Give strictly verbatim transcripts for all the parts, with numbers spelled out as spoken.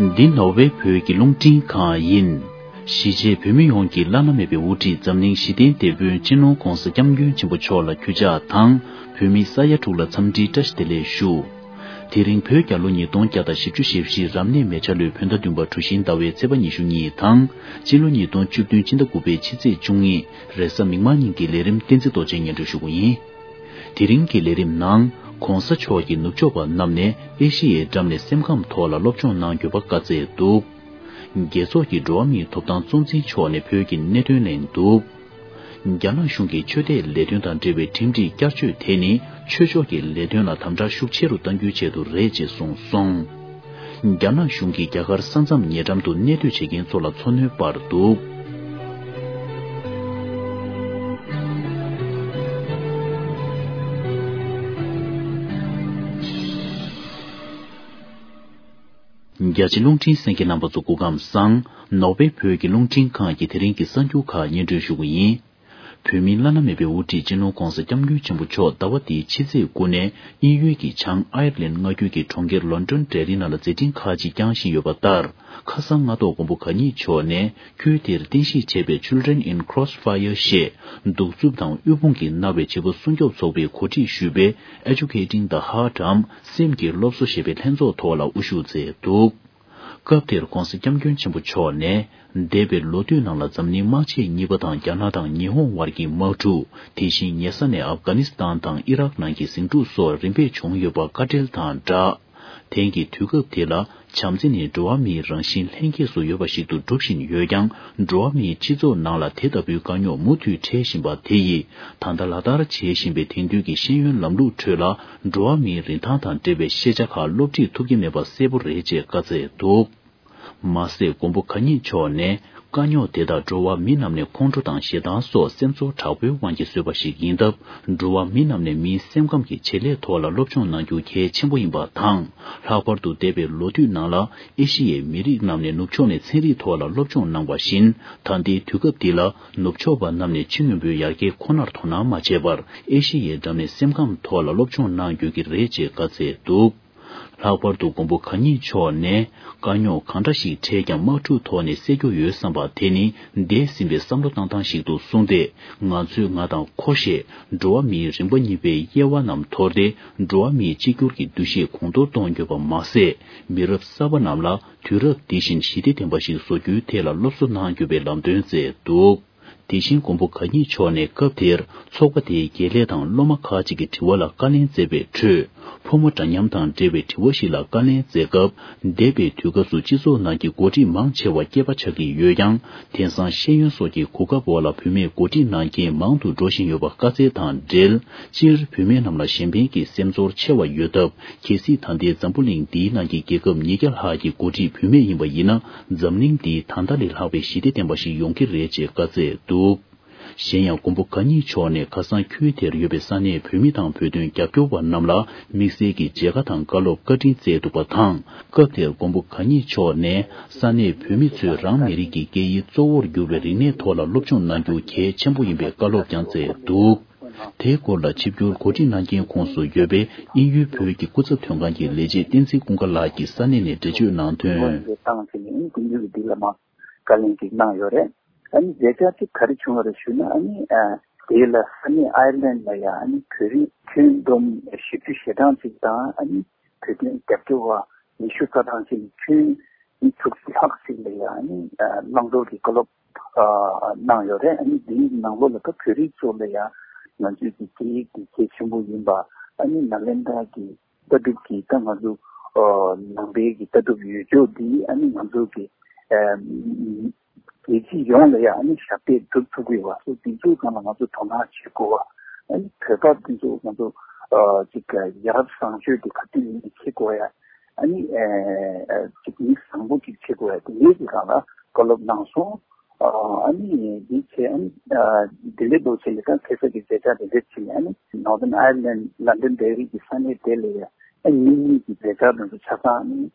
འདི་ནོར་ཝེ་བོད་ཀྱི་རླུང་འཕྲིན་ཁང་ཡིན། གཞིས་བྱེས་བོད་མི་ཡོངས་ཀྱི་བླ་ན་མེད་པའི་དབུ་ཁྲིད་འཛམ་གླིང་ཞི་བདེའི་དེད་དཔོན་སྤྱི་ནོར་༧གོང་ས་༧སྐྱབས་མགོན་ཆེན་པོ་མཆོག་ལ་གུས་ཕྱག་དང་། བོད་མི་ས་ཡ་དྲུག་ལ་འཚམས་འདྲིའི་བཀྲ་ཤིས་བདེ་ལེགས་ཞུ། དེ་རིང་བོད་རྒྱལ་ལོ་ཉིས་སྟོང་བརྒྱ་དང་བཞི་བཅུ་ཞེ་བཞི་རབ་གནས་མེ་བྱ་ལོའི་བོད་ཟླ་བདུན་པ་གྲུ་བཞིའི་ཟླ་བའི་ཚེས་པ་ཉི་ཤུ་གཉིས་དང་། སྤྱི་ལོ་ཉིས་སྟོང་བཅུ་བདུན་ཕྱི་ཟླ་དགུ་པའི་ཕྱི་ཚེས་བཅུ་གཉིས་རེས་གཟའ་མིག་དམར་ཉིན་གྱི་ལས་རིམ་བསྟན་འཛིན་རྡོ་རྗེས་སྙན་སྒྲོན་ཞུ་གི་ཡིན། དེ་རིང་གི་ལས་རིམ་ནང་། ༧གོང་ས་མཆོག་གིས་ནུབ་ཕྱོགས་པ་རྣམས་ནས་ཨེ་ཤི་ཡའི་འགྲམ་ནས་སེམས་ཁམས་ཐོག་ལ་སློབ་སྦྱོང་གནང་རྒྱུ་བ་བཀའ་སྩལ་འདུག། རྒྱལ་ཚོགས་ཀྱི་འགྲོ་བ་མིའི་ཐོབ་ཐང་གཙོ་འཛིན་མཆོག་ནས་བོད་ཀྱི་གནད་དོན་གླེང་འདུག། རྒྱ་ནག་གཞུང་གིས་ཆོས་དད་ལས་དོན་དང་འབྲེལ་བའི་ཁྲིམས་སྒྲིག་བསྐྱར་བཅོས་དེ་ནི་ཆོས་ཕྱོགས་ཀྱི་ལས་དོན་ལ་དམ་དྲག་ཤུགས་ཆེ་རུ་གཏང་རྒྱུའི་ཆེད་དུ་རེད་ཅེས་གསུངས་སོང་། རྒྱ་ནག་གཞུང་གིས་རྒྱ་གར་ས་མཚམས་ཉེ་འགྲམ་དུ་གནས་སྡོད་བྱེད་མཁན་ཚོ་ལ་འཚོ་སྣོན་སྤར་འདུག། རྒྱ་ཆེ་རླུང་འཕྲིན་གསན་མཁན་རྣམ་པ་ཚོ་སྐུ་ཁམས་བཟང་། ནོར་ཝེ་བོད་ཀྱི་རླུང་འཕྲིན་ཁང་གི་དེ་རིང་གི་གསར་འགྱུར་ཁག་སྙན་སྒྲོན་ཞུ་གི་ཡིན། བོད་མིའི་བླ་ན་མེད་པའི་དབུ་ཁྲིད་སྤྱི་ནོར་༧གོང་ས་༧སྐྱབས་མགོན་ཆེན་པོ་མཆོག་ཟླ་བ་འདིའི་ཕྱི་ཚེས་དགུ་ནས་དབྱིན་ཡུལ་གྱི་བྱང་ཨའེ་ར་ལན་མངའ་ཁུལ་གྱི་གྲོང་ཁྱེར་ལོན་ཌོན་ཌེ་ལི་ནང་ལ་མཛད་འཕྲིན་ཁག་ཅིག་བསྐྱངས་བཞིན་ཡོད་པ་ལྟར། ཁ་སང་སྔ་ཐོག་མགོན་པོ་གང་ཉིད་མཆོག་ནས་ཁུལ་དེར་རྟེན་གཞི་བྱས་པའི་Children in Crossfire ཞེས་གདུག་རྩུབ་དང་དབུལ་ཕོངས་ཀྱིས་མནར་བའི་བྱིས་པ་སྲུང་སྐྱོབ་ཚོགས་པས་གོ་སྒྲིག་ཞུས་པའི་Educating the Heart འམ་སེམས་ཀྱི་སློབ་གསོ་ཞེས་པའི་ལྷན་ཚོགས་ཐོག་ལ་དབུ་བཞུགས་མཛད་འདུག། སྐབས་དེར་༧གོང་ས་༧སྐྱབས་མགོན་ཆེན་པོ་མཆོག་ནས། འདས་པའི་ལོ་དུས་ནང་ལ་འཛམ་གླིང་དམག་ཆེན་གཉིས་པ་དང་རྒྱ་ནག་དང་ཉི་ཧོང་བར་གྱི་དམག་འཁྲུག་དེ་བཞིན་ཉེ་ས་ནས་ཨབ་གྷ་ནི་སི་ཐན་དང་ཨི་རག་ནང་གི་ཟིང་འཁྲུག་སོགས་རིམ་པས་བྱུང་ཡོད་པ་བཀའ་འགྲེལ་དང་སྦྲགས། དེང་གི་དུས་སྐབས་དེ་ལ་བྱམས་བརྩེ་ནི་འགྲོ་བ་མིའི་རང་བཞིན་ལྷན་སྐྱེས་སུ་ཡོད་པ་ཞིག་ཏུ་སྒྲུབ་བཞིན་ཡོད་ཀྱང་། འགྲོ་བ་མིའི་སྤྱི་ཚོགས་ནང་ལ་དེ་ལྟ་བུའི་དཀའ་རྙོག་མུ་མཐུད་འཕྲད་བཞིན་པ་དེ་ཡིས། ད་ལྟ་ལག་བསྟར་བྱེད་བཞིན་པའི་དེང་དུས་ཀྱི་ཤེས་ཡོན་ལམ་ལུགས་ཁྲོད་ལ། འགྲོ་བ་མིའི་རིན་ཐང་དང་འབྲེལ་བའི་ཤེས་བྱ་ཁག་སློབ་ཁྲིད་ཐུབ་ཀྱི་མེད་པ་གསལ་པོ་རེད་ཅེས་བཀའ་སྩལ་འདུག། མ་ཟད་མགོན་པོ་གང་ཉིད་མཆོག་ནས། དཀའ་རྙོག་དེ་དག་འགྲོ་བ་མི་རྣམས་ནས་ཁོང་ཁྲོ་དང་ཞེ་སྡང་སོགས་སེམས་ཚོར་དྲག་པོའི་དབང་གིས་བཟོས་པ་ཞིག་ཡིན་སྟབས། འགྲོ་བ་མི་རྣམས་ནས་མིའི་སེམས་ཁམས་ཀྱི་བྱེད་ལས་ཐོག་ལ་སློབ་སྦྱོང་གནང་རྒྱུ་གལ་ཆེན་པོ་ཡིན་པ་དང་། ལྷག་པར་དུ་འདས་པའི་ལོ་དུས་ནང་ལ་ཨེ་ཤི་ཡའི་མི་རིགས་རྣམས་ནས་ནུབ་ཕྱོགས་ནས་ཚན་རིག་ཐོག་ལ་སློབ་སྦྱོང་གནང་བ་བཞིན། ད་ལྟའི་དུས་སྐབས་འདི་ལ་ནུབ་ཕྱོགས་པ་རྣམས་ནས་ཕྱི་རྔོན་པོའི་ཡར་རྒྱས་ཁོ་ནར་དོ་སྣང་མ་བྱས་པར། ཨེ་ཤི་ཡའི་འགྲམ་ནས་སེམས་ཁམས་ཐོག་ལ་སློབ་སྦྱོང་གནང་དགོས་ཀྱི་རེད་ཅེས་བཀའ་སྩལ་འདུག། ལྷག་པར་དུ་མགོན་པོ་གང་ཉིད་མཆོག་ནས། དཀའ་རྙོག་གང་འདྲ་ཞིག་འཕྲད་ཀྱང་དམག་འཁྲུག་ཐོག་ནས་སེལ་རྒྱུ་ཡོད་བསམ་པ་དེ་ནི་འདས་ཟིན་པའི་བསམ་བློ་བཏང་སྟངས་ཤིག་ཏུ་གསུངས་ཏེ། ང་ཚོས་ང་དང་ཁོ་ཞེས་འགྲོ་བ་མིའི་རིམ་པ་གཉིས་པའི་དབྱེ་བ་རྣམས་དོར་ཏེ། འགྲོ་བ་མིའི་གཅིག་གྱུར་གྱི་འདུ་ཤེས་གོང་མཐོར་གཏོང་དགོས་པ་མ་ཟད། མི་རབས་གསར་པ་རྣམས་ལ་དུས་རབས་འདི་བཞིན་ཞི་བདེ་ལྡན་པ་ཞིག་བཟོ་རྒྱུའི་ཐད་ལ་སློབ་གསོ་གནང་དགོས་པའི་ལམ་སྟོན་མཛད་འདུག། དེ་བཞིན་མགོན་པོ་གང་ཉིད་མཆོག་ནས་སྐབས་དེར་ཚོགས་པ་དེའི་དགེ་ལས་དང་སློབ་མ་ཁག་ཅིག་གི་དྲི་བ་ལ་བཀའ་ལན་སྩལ་བའི་ཁྲོད། ཕོ་མོ་འདྲ་མཉམ་དང་འབྲེལ་བའི་དྲི་བ་ཞིག་ལ་བཀའ་ལན་སྩལ་སྐབས། འདས་པའི་དུས་སྐབས་སུ་སྤྱི་ཚོགས་ནང་གི་འགོ་ཁྲིད་མང་ཆེ་བ་སྐྱེས་པ་ཆགས་ཀྱི་ཡོད་ཀྱང་། དེང་སང་ཤེས་ཡོན་སོགས་ཀྱི་གོ་སྐབས་འོག་ལ་བུད་མེད་འགོ་ཁྲིད་གནང་མཁན་མང་དུ་འགྲོ་བཞིན་ཡོད་པ་བཀའ་སྩལ་དང་འབྲེལ། སྤྱིར་བུད་མེད་རྣམས་ལ་གཞན་ཕན་གྱི་སེམས་ཚོར་ཆེ་བ་ཡོད་སྟབས། གལ་སྲིད་ད་ལྟའི་འཛམ་བུ་གླིང་འདིའི་ནང་གི་རྒྱལ་ཁབ་ཉིས་བརྒྱ་ལྷག་གི་འགོ་ཁྲིད་བུད་མེད་ཡིན་པ་ཡིན་ན། འཛམ་གླིང་འདི་ད་ལྟ་ལས་ལྷག་པའི་ཞི་བདེ་ལྡན་པ་ཞིག་ཡོང་གི་རེད་ཅེས་བཀའ་སྩལ་འདུག། གཞན་ཡང་མགོན་པོ་གང་ཉིད་མཆོག་ནས་ཁ་སང་ཁུལ་དེར་ཡོད་པའི་ས་གནས་བོད་མི་དང་བོད་དོན་རྒྱབ་སྐྱོར་བ་རྣམས་ལ་དམིགས་བསལ་གྱི་མཇལ་ཁ་དང་བཀའ་སློབ་བཀའ་དྲིན་སྩལ་འདུག་པ་དང་། སྐབས་དེར་མགོན་པོ་གང་ཉིད་མཆོག་ནས་ས་གནས་བོད་མི་ཚོས་རང་མི་རིགས་ཀྱི་སྐད་ཡིག་གཙོ་བོར་གྱུར་པའི་རིག་གནས་ཐོག་ལ་སློབ་སྦྱོང་གནང་རྒྱུ་གལ་ཆེན་པོ་ཡིན་པའི་བཀའ་སློབ་ཀྱང་སྩལ་འདུག། དེའི་སྐོར་ལ་ཆིབས་བསྒྱུར་འགོ་ཁྲིད་གནང་མཁན་ཁོངས་སུ་ཡོད་པའི་དབྱིན་ཡུལ་བོད་ཀྱི་སྐུ་ཚབ་དོན་ཁང་གི་ལས་བྱེད་བསྟན་འཛིན་ཀུན་དགའ་ལགས་ཀྱིས་ས་གནས་ནས་འགྲེལ་བརྗོད་གནང་དོན། བཏང་ཟིན་ནས་དབྱིན་ཡུལ་འདི་ལ་མ་བཀའ་ལན་ཅིག་གནང་ཡོད་རེད། ཨ་ནི་མཛད་འཆར་དེ་ག་རེ་བྱུང་བ་རེད་ཞུ་ན། ཨ་ནི་ཨ་དེ་ལ་ས་གནས་ཨའི་ལན་ལ་ཡང་ཨ་ནི་བོད་རིགས་ཁྱོན་བསྡོམས་བཞི་བཅུ་ཞེ་གྲངས་ཅིག་དང་། ཨ་ནི་བོད་དོན་རྒྱབ་སྐྱོར་བ་ཉི་ཤུ་རྩ་གྲངས་ཅིག་ཁྱོན་ཉིས་དྲུག་ཅུ་ལྷག་ཅིག་ལ་ཡང་ཨ་ནི་ཨ་བླང་དོར་གྱི་བཀའ་སློབ་ཨ་གནང་ཡོད་རེད། ཨ་ནི་དེའི་ནང་ལོགས་ལ་ད་བོད་རིགས་ཚོ་ལ་ཡང་ང་ཚོའི་གི་སྐད་ཡིག་དེ་གལ་ཆེན་པོ་ཡིན་པ། ཨ་ནི་ནཱ་ལེནྡྲ་གི་ལྟ་གྲུབ་ཀྱི་ད་ང་ཚོ་ཨ་ནང་པའི་གི་ལྟ་གྲུབ་ཡོད་ཕྱོགས་འདི་ཨ་ནི་ང་ཚོ་གི་ཨ་རྒྱལ་སྤྱི་ཡོངས་ལ་ཡང་ཨ་ནི་ཞབས་འདེགས་སྒྲུབ་ཐུབ་དགོས་པ་སོགས་འདི་ཚོའི་སྒང་ལ་ང་ཚོ་དོ་སྣང་བྱེད་དགོས་པ། ཨ་ནི་བོད་པ་འདི་ཚོ་ང་ཚོ་ཨ་ཅིག་ཡ་རབས་བཟང་སྤྱོད་དེ་ག་དུས་ཡིན་ནའི་བྱེད་དགོས་ཡ། ཨ་ནི་ཨ་ཅིག་མི་བཟང་པོ་ཅིག་བྱེད་དགོས་ཡ། དེ་འདྲའི་གི་སྒང་ལ་བཀའ་སློབ་གནང་སོང་། ཨ་ནི་འདི་བྱས་ཨ་ནི་ཨ་དེ་འདྲའི་ལོ་ཆེན་གྱི་ད་ཁ་སང་གི་མཛད་འཆར་དེ་འདྲ་བྱས་ནས། ཨ་ནི་Northern Ireland Londonderry གི་ས་གནས་དེ་ལ་ཡ་ཨ་ནི་གཉིས་གཉིས་ཀྱི་མཛད་འཆར་དེ་ཚོ་ཆ་ཚང་ཨ་ནི་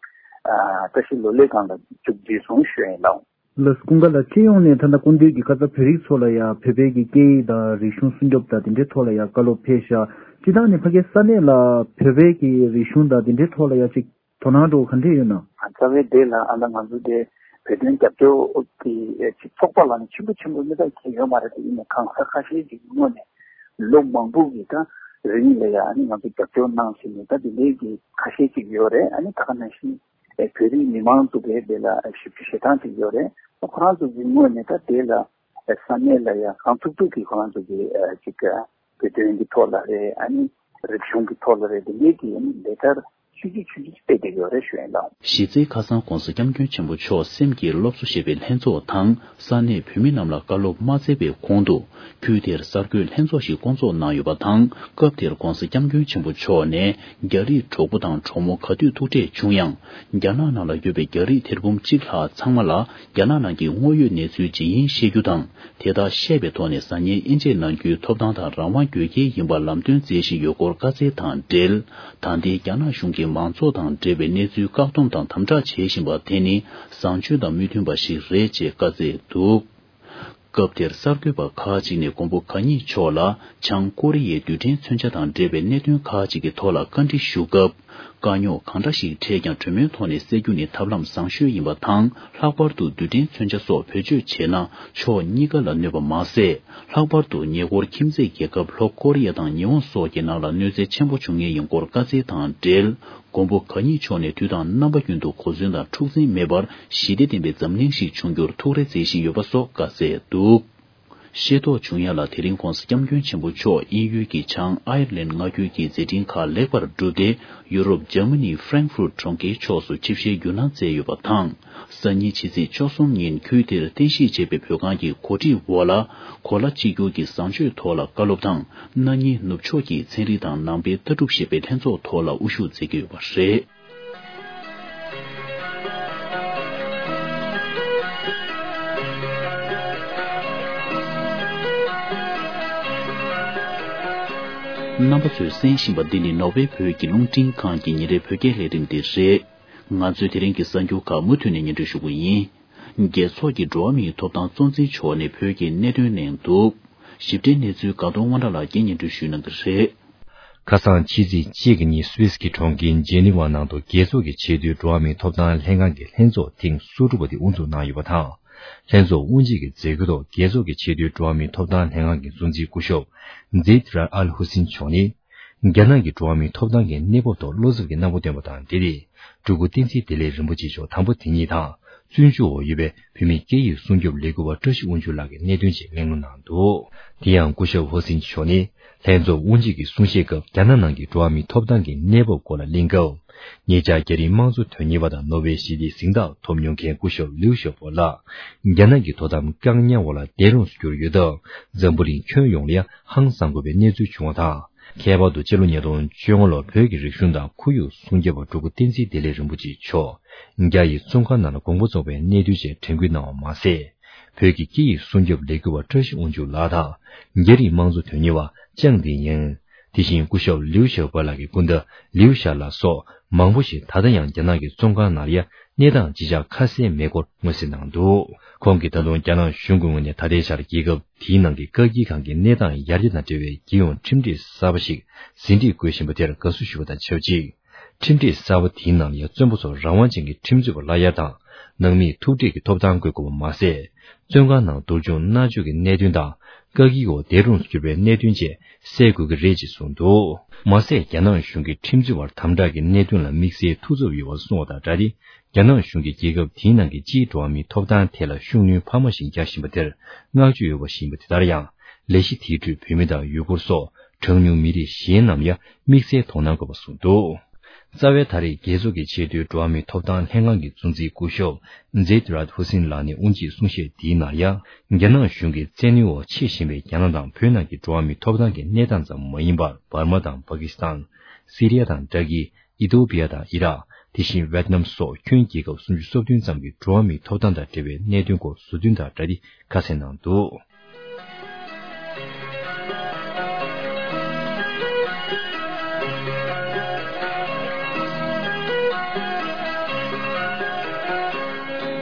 ཨ་བཀྲ་ཤིས་ལོ་ལེགས་སྒང་ལ་མཇུག་བསྒྲིལ་སོང་ཞུ་ཡ་ཡིན་ལགས། ལགས་སོ། ཀུན་དགའ་ལགས། སྤྱི་ཡོངས་ནས་ད་ལྟ་སྐུ་མདུན་གྱིས་ཁ་སང་བོད་རིགས་ཚོ་ལ་ཡ་བོད་པའི་གི་སྐད་ཡིག་དང་རིག་གཞུང་སྲུང་སྐྱོབ་དང་དེ་འདྲའི་ཐོག་ལ་ཡ་བཀའ་སློབ་ཕེབས་ཤག། སྤྱིར་བཏང་ནས་ཕ་གིའི་ས་གནས་ལ་བོད་པའི་གི་རིག་གཞུང་དང་དེ་འདྲའི་ཐོག་ལ་ཡ་ཅིག་ དོ་སྣང་འདྲ་བོ་ག་འདྲ་ཡོད་ན། རྩ་བའི་དེ་ལ་ཨ་ལ་ང་ཚོ་དེ་བོད་དོན་རྒྱབ་སྐྱོར་གྱི་ཨེ་ཅིག་ཚོགས་པ་ལ་ནི་ཆེན་པོ་ཆེན་པོ་མི་ལྟར་གྱི་ཡོད་མ་རེད་དེ། ཡིན་ནའི་གང་ཟག་ཁ་ཤས་ཅིག་ངོས་ནས་ལོ་མང་པོ་གི་ད་རིང་ལ་ཡ་ཨ་ནི་ང་ཚོ་རྒྱབ་སྐྱོར་གནང་བཞིན་ནས་ད་དེ་འདྲའི་གི་ཁ་ཤས་ཅིག་ཡོད་རེད། ཨ་ནི་ད་ག་ནང་བཞིན་ཨེ་བོད་རིགས་མི་མང་ཚོ་གི་དེ་ལ་ཞབས་ཞུ་བྱེད་སྟངས་ཅིག་ཡོད་རེད། ཁོ་རང་ཚོ་གི་ངོས་ནས་ད་དེ་ལ་ས་གནས་ལ་ཡ་གང་ཐུབ་ཐུབ་ཀྱིས་ཁོ་རང་ཚོ་གི་ཅིག་བོད་དོན་གྱི་ཐོག་ལ་རེད། ཨ་ནི་རིག་གཞུང་གི་ཐོག་ལ་རེད། དེ་འདྲའི་གི་ཨ་ནི་ལས་ཀ་ཆུང་ཆུང་ཆུང་ཆུང་སྤེལ་བསྡད་ཡོད་རེད་ཞུ་ཡིན་ལགས། གཞི་རྩའི་ཁ་སང་༧གོང་ས་༧སྐྱབས་མགོན་ཆེན་པོ་མཆོག་སེམས་ཀྱི་སློབ་གསོ་ཞེས་པའི་ལྷན་ཚོགས་དང་ས་གནས་བོད་མི་རྣམས་ལ་བཀའ་སློབ་མ་སྩལ་བའི་གོང་དུ་ཁུལ་དེར་གསར་འགོད་ལྷན་ཚོགས་ཤིག་བསྐོང་ཚོགས་གནང་ཡོད་པ་དང་། སྐབས་དེར་༧གོང་ས་༧སྐྱབས་མགོན་ཆེན་པོ་མཆོག་ནས་རྒྱ་རིགས་གྲོགས་པོ་དང་གྲོགས་མོ་ག་དུས་ཐུག་འཕྲད་བྱུང་ཡང་། རྒྱ་ནག་ནང་ལ་ཡོད་པའི་རྒྱ་རིགས་ཐེར་འབུམ་གཅིག་ལྷག་ཚང་མ་ལ་རྒྱ་ནག་ནང་གི་དངོས་ཡོད་གནས་ཚུལ་ཇི་ཡིན་ཤེས་རྒྱུ་དང་། དེ་དག་ཤེས་པའི་ཐོག་ནས་ཟ་ཉལ་དབྱེ་འབྱེད་གནང་རྒྱུའི་ཐོབ་ཐང་དང་རང་དབང་དགོས་གལ་ཡིན་པར་ལམ་སྟོན་མཛད་བཞིན་ཡོད་སྐོར་བཀའ་སྩལ་དང་འབྲེལ། ད་ལྟའི་རྒྱ་ནག་གཞུང་གི་མང་ཚོགས་དང་འབྲེལ་བའི་གནས་ཚུལ་བཀག་སྡོམ་དང་དམ་དྲག་བྱེད་བཞིན་པ་དེ་ནི་བཟང་སྤྱོད་དང་མི་མཐུན་པ་ཞིག་རེད་ཅེས་བཀའ་སྩལ་འདུག། སྐབས་དེར་གསར་འགོད་པ་ཁག་ཅིག་ནས་མགོན་པོ་གང་ཉིད་མཆོག་ལ་བྱང་ཀོ་རི་ཡའི་རྡུལ་ཕྲན་མཚོན་ཆ་དང་འབྲེལ་བའི་གནད་དོན་ཁག་ཅིག་གི་ཐོག་ལ་བཀའ་འདྲི་ཞུ་སྐབས། དཀའ་རྙོག་གང་འདྲ་ཞིག་འཕྲད་ཀྱང་གྲོས་མོལ་ཐོག་ནས་སེལ་རྒྱུ་ནི་ཐབས་ལམ་བཟང་ཤོས་ཡིན་པ་དང་། ལྷག་པར་དུ་རྡུལ་ཕྲན་མཚོན་ཆ་སོགས་བེད་སྤྱོད་བྱས་ན་ཕྱོགས་གཉིས་ཀ་ལ་གནོད་པ་མ་ཟད། ལྷག་པར་དུ་ཉེ་འཁོར་ཁྱིམ་མཚེས་རྒྱལ་ཁབ་ལྷོ་ཀོ་རི་ཡ་དང་ཉི་ཧོང་སོགས་ཀྱི་ནང་ལ་གནོད་འཚེ་ཆེན་པོ་འབྱུང་ངེས་ཡིན་སྐོར་བཀའ་སྩལ་དང་འབྲེལ། མགོན་པོ་གང་ཉིད་མཆོག་ནས་དུས་དང་རྣམ་པ་ཀུན་ཏུ་གོ་མཚོན་དང་འཁྲུག་འཛིང་མེད་པར་ཞི་བདེ་ལྡན་པའི་འཛམ་གླིང་ཞིག་འབྱུང་རྒྱུར་ཐུགས་རེ་མཛད་བཞིན་ཡོད་པ་སོགས་བཀའ་སྩལ་འདུག། ཤེས་རྟོགས་བྱུང་ཡ་ལ། དེ་རིང་༧གོང་ས་༧སྐྱབས་མགོན་ཆེན་པོ་མཆོག་དབྱིན་ཡུལ་གྱི་བྱང་ཨའི་ལན་མངའ་ཁུལ་གྱི་མཛད་འཕྲིན་ཁག་ལེགས་པར་བསྒྲུབས་ཏེ། ཡུ་རོབ་འཇར་མ་ནི་ཧྥ་རེང་ཧྥུར་གྲོང་ཁྱེར་ཕྱོགས་སུ་ཆིབས་ཞལ་བསྒྱུར་གནང་མཛད་ཡོད་པ་དང་། སང་ཉིན་ཕྱི་ཚེས་བཅུ་གསུམ་ཉིན་ཁུལ་དེར་རྟེན་གཞི་བྱས་པའི་བོད་ཁང་གི་གོ་སྒྲིག་འོག་ལ། གོ་ལ་གཅིག་གྱུར་གྱི་བཟང་སྤྱོད་ཐོག་ལ་བཀའ་སློབ་དང་། སྣ་གཉིས་ནུབ་ཕྱོགས་ཀྱི་ཚན་རིག་དང་ནང་པའི་ལྟ་གྲུབ་ཞེས་པའི་ལྷན་ཚོགས་ཐོག་ལ་དབུ་བཞུགས་མཛད་ཀྱི་ཡོད་པ་རེད། རྣམ་པ་ཚོས་གསན་བཞིན་པ་འདི་ནི་ནོར་ཝེ་བོད་ཀྱི་རླུང་འཕྲིན་ཁང་གི་ཉིན་རེའི་བོད་སྐད་ལས་རིམ་དེ་རེད། ང་ཚོས་དེ་རིང་གི་གསར་འགྱུར་ཁག་མུ་མཐུད་ནས་སྙན་སྒྲོན་ཞུ་གི་ཡིན། རྒྱལ་ཚོགས་ཀྱི་འགྲོ་བ་མིའི་ཐོབ་ཐང་གཙོ་འཛིན་མཆོག་ནས་བོད་ཀྱི་གནད་དོན་གླེང་འདུག། ཞིབ་ཕྲའི་གནས་ཚུལ་དགའ་གདོང་དབང་གྲགས་ལགས་ཀྱིས་སྙན་སྒྲོན་ཞུ་གནང་གི་རེད། ཁ་སང་ཕྱི་ཚེས་གཅིག་གི་ཉིན་སུད་སི་གི་གྲོང་ཁྱེར་ཇེ་ནི་ཝ་ནང་དུ་རྒྱལ་ཚོགས་ཀྱི་ཆེས་མཐོའི་འགྲོ་བ་མིའི་ཐོབ་ཐང་ལྷན་ཁང་གི་ལྷན་ཚོགས་ཐེངས་སོ་དྲུག་པ་དེ་དབུ་འཛུགས་གནང་ཡོད་པ་དང་། ལྷན་ཚོགས་དབུ་འབྱེད་ཀྱི་མཛད་སྒོའི་ཐོག་རྒྱལ་ཚོགས་ཀྱི་ཆེས་མཐོའི་འགྲོ་བ་མིའི་ཐོབ་ཐང་ལྷན་ཁང་གི་གཙོ་འཛིན་སྐུ་ཞབས་ཛེད་ར་ཨལ་ཧུ་སིན་མཆོག་ནི། རྒྱ་ནག་གི་འགྲོ་བ་མིའི་ཐོབ་ཐང་གི་གནས་བབ་ཐོག་བློ་འཚབ་ཀྱི་རྣམ་པ་བཏོན་པ་དང་འབྲེལ་ཏེ། སྤྲུལ་སྐུ་བསྟན་འཛིན་བདེ་ལེགས་རིན་པོ་ཆེ་མཆོག་དམ་པ་དེ་ཉིད་དང་། བཙོན་འཇུག་འོག་ཡོད་པའི་བོད་མིའི་སྐད་ཡིག་སྲུང་སྐྱོབ་ལས་འགུལ་བ་བཀྲ་ཤིས་དབང་ཕྱུག་ལགས་ཀྱིས་གནད་དོན་ཆེད་གླེང་སློང་གནང་འདུག། དེ་ཡང་སྐུ་ཞབས་ཧོ་སིན་མཆོག་ནི། ལྷན་ཚོགས་དབུ་འབྱེད་ཀྱི་གསུང་བཤད་སྐབས་རྒྱ་ནག་ནང་གི་འགྲོ་བ་མིའི་ཐོབ་ཐང་གི་གནས་བབ་སྐོར་ལ་གླེང་སྐབས། ཉེ་ཆར་རྒྱ་རིགས་དམངས་གཙོ་དོན་གཉེར་བ་དང་ནོ་བེལ་ཞི་བདེའི་གཟེངས་རྟགས་ཐོབ་མྱོང་མཁན་སྐུ་ཞབས་ལིའུ་ཞའོ་པོ་ལགས། རྒྱ་ནག་གི་དོ་དམ་བཀག་ཉར་འོག་ལ་བསྡད་རུང་གྱུར་ཡོད་སྟབས། འཛམ་བུ་གླིང་ཁྱོན་ཡོངས་ལ་ཡང་ཧང་སང་དགོས་པའི་གནས་ཚུལ་བྱུང་བ་དང་། ཁྱད་པར་དུ་སྤྱི་ལོ་ཉིས་སྟོང་བཅོ་ལྔ་ལོར་བོད་ཀྱི་རིག་གཞུང་དང་ཁོར་ཡུག་སྲུང་སྐྱོབ་པ་སྤྲུལ་སྐུ་བསྟན་འཛིན་བདེ་ལེགས་རིན་པོ་ཆེ་མཆོག་རྒྱ་ཡི་བཙོན་ཁང་ནང་ལ་དགོངས་པ་རྫོགས་པའི་གནད་དོན་བཅས་དྲན་སྐུལ་གནང་བ་མ་ཟད། བོད་ཀྱི་སྐད་ཡིག་སྲུང་སྐྱོབ་ལས་འགུལ་བ་བཀྲ་ཤིས་དབང་ཕྱུག་ལགས་དང་། རྒྱ་རིགས་དམངས་གཙོ་དོན་གཉེར་བ་ཅང་ཏི་ཡིན། དེ་བཞིན་སྐུ་ཞབས་ལིའུ་ཞའོ་པོ་ལགས་ཀྱི་སྐུ་ཟླ་ལིའུ་ཞའོ་ལགས་སོགས་མང་པོ་ཞིག་ད་ལྟ་ཡང་རྒྱ་ནག་གི་བཙོན་ཁང་ནང་ལ་ཡ་གནས་སྟངས་ཅི་ཆགས་ཁ་གསལ་མེད་སྐོར་མངོན་གསལ་གནང་འདུག། ཁོང་གིས་ད་དུང་རྒྱ་ནག་གཞུང་གི་ངོས་ནས་ད་ལྟའི་ཆར་རྒྱལ་ཁབ་དེའི་ནང་གི་བཀག་སྐྱིལ་ཁང་གི་གནས་སྟངས་ཡར་རྒྱས་དང་འབྲེལ་བའི་རྒྱལ་ཡོངས་ཁྲིམས་སྒྲིག་གསར་པ་ཞིག་ཟིན་བྲིས་འགོད་བཞིན་པ་དེར་དགའ་བསུ་ཞུ་བ་དང་ཆབས་ཅིག། ཁྲིམས་སྒྲིག་གསར་པ་དེའི་ནང་ལ་ཡང་བཙོན་པ་ཚོར་རང་དབང་ཅན་གྱི་ཁྲིམས་རྩོད་པ་ལ་གཡར་དང་། ནང་མིའི་ཐུག་འཕྲད་ཀྱི་ཐོབ་ཐང་དགོས་དགོས་པ་མ་ཟད། བཙོན་ཁང་ནང་སྡུག་སྦྱོང་མནར་གཅོད་ཀྱི་གནད་དོན་དང་། བཀག་སྐྱིལ་འོག་བསྡད་རུང་གྱུར་པའི་གནད་དོན་བཅས་སེལ་དགོས་ཀྱི་རེད་ཅེས་གསུངས་འདུག། མ་ཟད་རྒྱ་ནག་གཞུང་གིས་ཁྲིམས་རྩོད་པར་དམ་དྲག་གི་གནད་དོན་ལ་དམིགས་བསལ་ཐུགས་འཚབ་ཡོད་པར་གསུངས་པ་དང་སྦྲགས་ཏེ། རྒྱ་ནག་གཞུང་གིས་རྒྱལ་ཁབ་དེའི་ནང་གི་སྤྱིའི་འགྲོ་བ་མིའི་ཐོབ་ཐང་ཐད་ལ་ཤུགས་སྣོན་འཕར་མ་ཞིག་རྒྱག་བཞིན་པ་དེར་བསྔགས་བརྗོད་ཡོད་པ་ཞིག་ཡིན་པ་དེ་ལྟར་ཡང་། ལས་གཞི་དེའི་ཁྲོད་བོད་མི་དང་ཡུ་གུར་སོགས་གྲངས་ཉུང་མི་རིགས་གཞན་རྣམས་ཡང་དམིགས་བསལ་དོ་སྣང་དགོས་པ་གསུངས་འདུག། རྩ་བའི་ད་རེས་རྒྱལ་ཚོགས་ཀྱི་ཆེས་མཐོའི་འགྲོ་བ་མིའི་ཐོབ་ཐང་ལྷན་ཁང་གི་གཙོ་འཛིན་སྐུ་ཞབས་ཛེད་རཱད་ཧུ་སིན་ལགས་ནས་དབུ་འབྱེད་གསུང་བཤད་དེའི་ནང་ཡང་། རྒྱ་ནག་གཞུང་གིས་བཙན་གནོན་འོག་ཕྱེ་བཞིན་པའི་རྒྱ་ནག་དང་བོད་ནང་གི་འགྲོ་བ་མིའི་ཐོབ་ཐང་གི་གནས་སྟངས་ཙམ་མ་ཡིན་པར། འབར་མ་དང་པ་ཀི་སི་ཐན། སི་རི་ཡ་དང་ཏྲ་ཀི། ཨི་ཐོ་པི་ཡ་དང་ཨི་རག། དེ་བཞིན་ཝེད་ནམ་སོགས་ཁྱོན་རྒྱལ་ཁབ་སུམ་ཅུ་སོ་བདུན་ཙམ་གྱི་འགྲོ་བ་མིའི་ཐོབ་ཐང་དང་འབྲེལ་བའི་གནད་དོན་སྐོར་ཟུར་འདོན་དང་སྦྲགས་ཏེ་ཁ་གསལ་གནང་འདུག།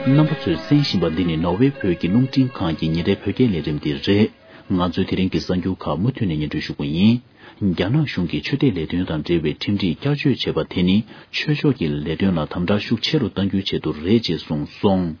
རྣམ་པ་ཚོས་གསན་བཞིན་པ་འདི་ནི་ནོར་ཝེ་བོད་ཀྱི་རླུང་འཕྲིན་ཁང་གི་ཉིན་རེའི་བོད་སྐད་ལས་རིམ་དེ་རེད། ང་ཚོས་དེ་རིང་གི་གསར་འགྱུར་ཁག་མུ་མཐུད་ནས་སྙན་སྒྲོན་ཞུ་གི་ཡིན། རྒྱ་ནག་གཞུང་གིས་ཆོས་དད་ལས་དོན་དང་འབྲེལ་བའི་ཁྲིམས་སྒྲིག་བསྐྱར་བཅོས་བྱས་པ་དེ་ནི་ཆོས་ཕྱོགས་ཀྱི་ལས་དོན་ལ་དམ་དྲག་ཤུགས་ཆེ་རུ་གཏང་རྒྱུའི་ཆེད་དུ་རེད་ཅེས་གསུངས་སོང་།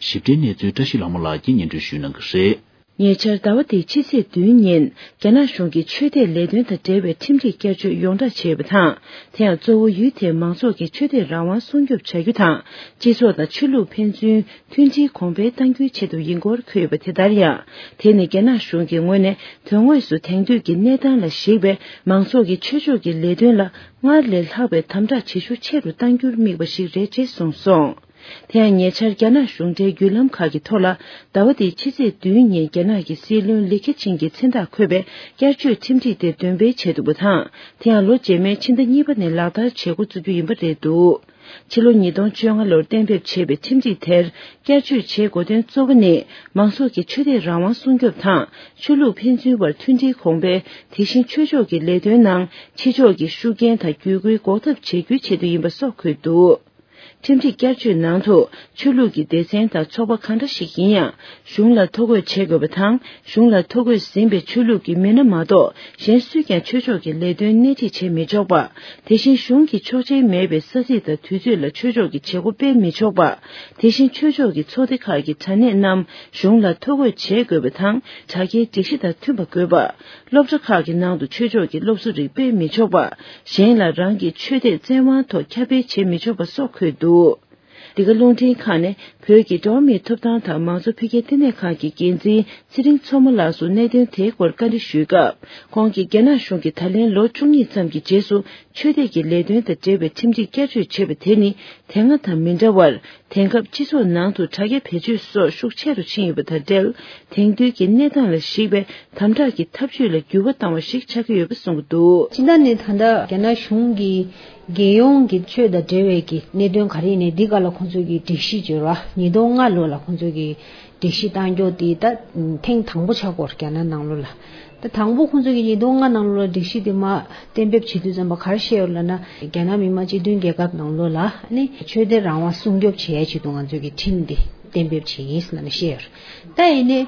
ཞིབ་ཕྲའི་གནས་ཚུལ་བཀྲ་ཤིས་ལྷ་མོ་ལགས་ཀྱིས་སྙན་སྒྲོན་ཞུ་གནང་གི་རེད། ཉེ་ཆར་ཟླ་བ་འདིའི་ཕྱི་ཚེས་བདུན་ཉིན་རྒྱ་ནག་གཞུང་གིས་ཆོས་དད་ལས་དོན་དང་འབྲེལ་བའི་ཁྲིམས་སྒྲིག་བསྐྱར་བཅོས་ཡོངས་བསྒྲགས་བྱས་པ་དང་། དེ་ཡང་གཙོ་བོ་ཡུལ་དེའི་མང་ཚོགས་ཀྱི་ཆོས་དད་རང་དབང་སྲུང་སྐྱོབ་བྱ་རྒྱུ་དང་། སྤྱི་ཚོགས་དང་ཆོས་ལུགས་ཕན་ཚུན་མཐུན་སྒྲིལ་གོང་འཕེལ་གཏང་རྒྱུའི་ཆེད་དུ་ཡིན་སྐོར་འཁོད་ཡོད་པ། དེ་ལྟར་ཡང་། དེ་ནི་རྒྱ་ནག་གཞུང་གི་ངོས་ནས་དོན་དངོས་སུ་དེང་དུས་ཀྱི་གནས་སྟངས་ལ་གཞིགས་པའི་མང་ཚོགས་ཀྱི་ཆོས་ཕྱོགས་ཀྱི་ལས་དོན་ལ་སྔར་ལས་ལྷག་པའི་དམ་དྲག་བྱེད་ཤུགས་ཆེ་རུ་གཏང་རྒྱུར་དམིགས་པ་ཞིག་རེད་ཅེས་གསུངས་སོང་། དེ་ཡང་ཉེ་ཆར་རྒྱ་ནག་གཞུང་འབྲེལ་བརྒྱུད་ལམ་ཁག་གི་ཐོག་ལ། ཟླ་བ་འདིའི་ཕྱི་ཚེས་བདུན་ཉིན་རྒྱ་ནག་གི་སྲིད་བློན་ལི་ཁེ་ཆིང་གི་མཚན་རྟགས་འཁོད་པའི་བསྐྱར་བཅོས་ཁྲིམས་སྒྲིག་དེ་འདོན་སྤེལ་བྱས་འདུག་པ་དང་། དེ་ཡང་ལོ་རྗེས་མའི་ཕྱི་ཟླ་གཉིས་པ་ནས་ལག་བསྟར་བྱེད་འགོ་བཙུགས་རྒྱུ་ཡིན་པ་རེད་འདུག་ཕྱི་ལོ་ཉིས་སྟོང་བཅོ་ལྔ་ལོར་གཏན་འབེབས་བྱས་པའི་ཁྲིམས་སྒྲིག་དེར་བསྐྱར་བཅོས་བྱེད་དགོས་དོན་གཙོ་བོ་ནི། མང་ཚོགས་ཀྱི་ཆོས་དད་རང་དབང་སྲུང་སྐྱོབ་དང་། ཆོས་ལུགས་ཕན་ཚུན་བར་མཐུན་སྒྲིལ་གོང་འཕེལ། དེ་བཞིན་ཆོས་ཕྱོགས་ཀྱི་ལས་དོན་ནང་ཕྱི་ཕྱོགས་ཀྱི་ཤུགས་རྐྱེན་དང་བརྒྱུད་སྐུལ་འགོག་ཐབས་བྱེད་རྒྱུའི་ཆེད་དུ་ཡིན་པ་སོགས་འཁོད་འདུག་ཁྲིམས་སྒྲིག་བསྐྱར་བཅོས་ནང་དུ། ཆོས་ལུགས་ཀྱི་སྡེ་ཚན་དང་ཚོགས་པ་གང་འདྲ་ཞིག་ཡིན་ཡང་། གཞུང་ལ་ཐོ་འགོད་བྱེད་དགོས་པ་དང་། གཞུང་ལ་ཐོ་འགོད་ཟིན་པའི་ཆོས་ལུགས་ཀྱི་མི་སྣ་མ་གཏོགས། གཞན་སུས་ཀྱང་ཆོས་ཕྱོགས་ཀྱི་ལས་དོན་སྣེ་ཁྲིད་བྱེད་མི་ཆོག་པ། དེ་བཞིན་གཞུང་གི་ཆོག་མཆན་མེད་པའི་ས་ཚིགས་དང་དུས་ཚོད་ལ་ཆོས་ཕྱོགས་ཀྱི་བྱེད་སྒོ་སྤེལ་མི་ཆོག་པ། དེ་བཞིན་ཆོས་ཕྱོགས་ཀྱི་ཚོགས་སྡེ་ཁག་གི་དྲ་གནས་རྣམས་གཞུང་ལ་ཐོ་འགོད་བྱེད་དགོས་པ་དང་། དྲ་རྒྱའི་སྒྲིག་གཞི་དང་མཐུན་པ་དགོས་པ། སློབ་གྲྭ་ཁག་གི་ནང་དུ་ཆོས་ཕྱོགས་ཀྱི་སློབ་གསོ་རིགས་སྤེལ་མི་ཆོག་པ། གཞན་ལ་རང་གི་ཆོས་དད་བཙན་དབང་ཐོག་ཁྱབ་སྤེལ་བྱེད་མི་ཆོག་པ་སོགས་འཁོད་འདུག་འདི་ག་རླུང་འཕྲིན་ཁང་ནས་བོད་ཀྱི་འགྲོ་བ་མིའི་ཐོབ་ཐང་དང་མང་གཙོ་འཕེལ་རྒྱས་ལྟེ་གནས་ཁང་གི་འགན་འཛིན་ཚེ་རིང་མཚོ་མོ་ལགས་སུ་གནད་དོན་དེའི་སྐོར་བཀའ་འདྲི་ཞུས་སྐབས། ཁོང་གིས་རྒྱ་ནག་གཞུང་གིས་ད་ལན་ལོ་བཅུ་གཉིས་ཙམ་གྱི་རྗེས་སུ་ཆོས་དད་ཀྱི་ལས་དོན་དང་འབྲེལ་བའི་ཁྲིམས་སྒྲིག་བསྐྱར་བཅོས་བྱས་པ་དེ་ནི་དེ་སྔ་དང་མི་འདྲ་བར། དེང་སྐབས་སྤྱི་ཚོགས་ནང་དུ་དྲ་རྒྱ་བེད་སྤྱོད་སོགས་ཤུགས་ཆེ་རུ་ཕྱིན་ཡོད་པ་དང་འབྲེལ། དེང་དུས་ཀྱི་གནས་སྟངས་ལ་གཞིགས་པའི་དམ་དྲག་གི་ཐབས་ཇུས་ལ་འགྱུར་བ་བཏང་བ་ཞིག་ཆགས་ཀྱི་ཡོད་པ་གསུངས་ཀྱི་འདུག་སྤྱི་ཟླ་ནས་ད་ལྟ་རྒྱ་ནག་གཞུང་གིས་རྒྱལ་ཡོངས་ཀྱི་ཆོས་དང་འབྲེལ་བའི་གི་གནད་དོན་ག་རེ་ཡིན་ནའི་འདི་ག་ལ་ཁོང་ཚོས་ཀྱི་སྒྲིག་གཞི་བརྗོད་ར་ཉིས་སྟོང་ལྔ་ལོ་ལ་ཁོང་ཚོས་ཀྱི་སྒྲིག་གཞི་བཏང་རྒྱུ་དེ་ད་ཐེངས་དང་པོ་ཆགས་ཀྱི་ཡོད་རེད་རྒྱ་ནག་ནང་ལོགས་ལ། ད་དང་པོ་ཁོང་ཚོས་ཀྱི་ཉིས་སྟོང་ལྔ་ནང་ལོགས་ལ་སྒྲིག་གཞི་དེ་མར་གཏན་འབེབས་བྱེད་དུས་ཙམ་པ་ག་རེ་བཤད་ཡོད་ལབ་ན། རྒྱ་ནག་མི་དམངས་སྤྱི་མཐུན་རྒྱལ་ཁབ་ནང་ལོགས་ལ་ནི་ཆོས་དད་རང་དབང་སྲུང་སྐྱོབ་བྱེད་ཡའི་ཆེད་དུ་ང་ཚོས་ཀྱི་ཁྲིམས་དེ་གཏན་འབེབས་བྱས་ཡིན་ལབ་ནས་བཤད་ཡོད་རེད། ད་ཡིན་ནའི་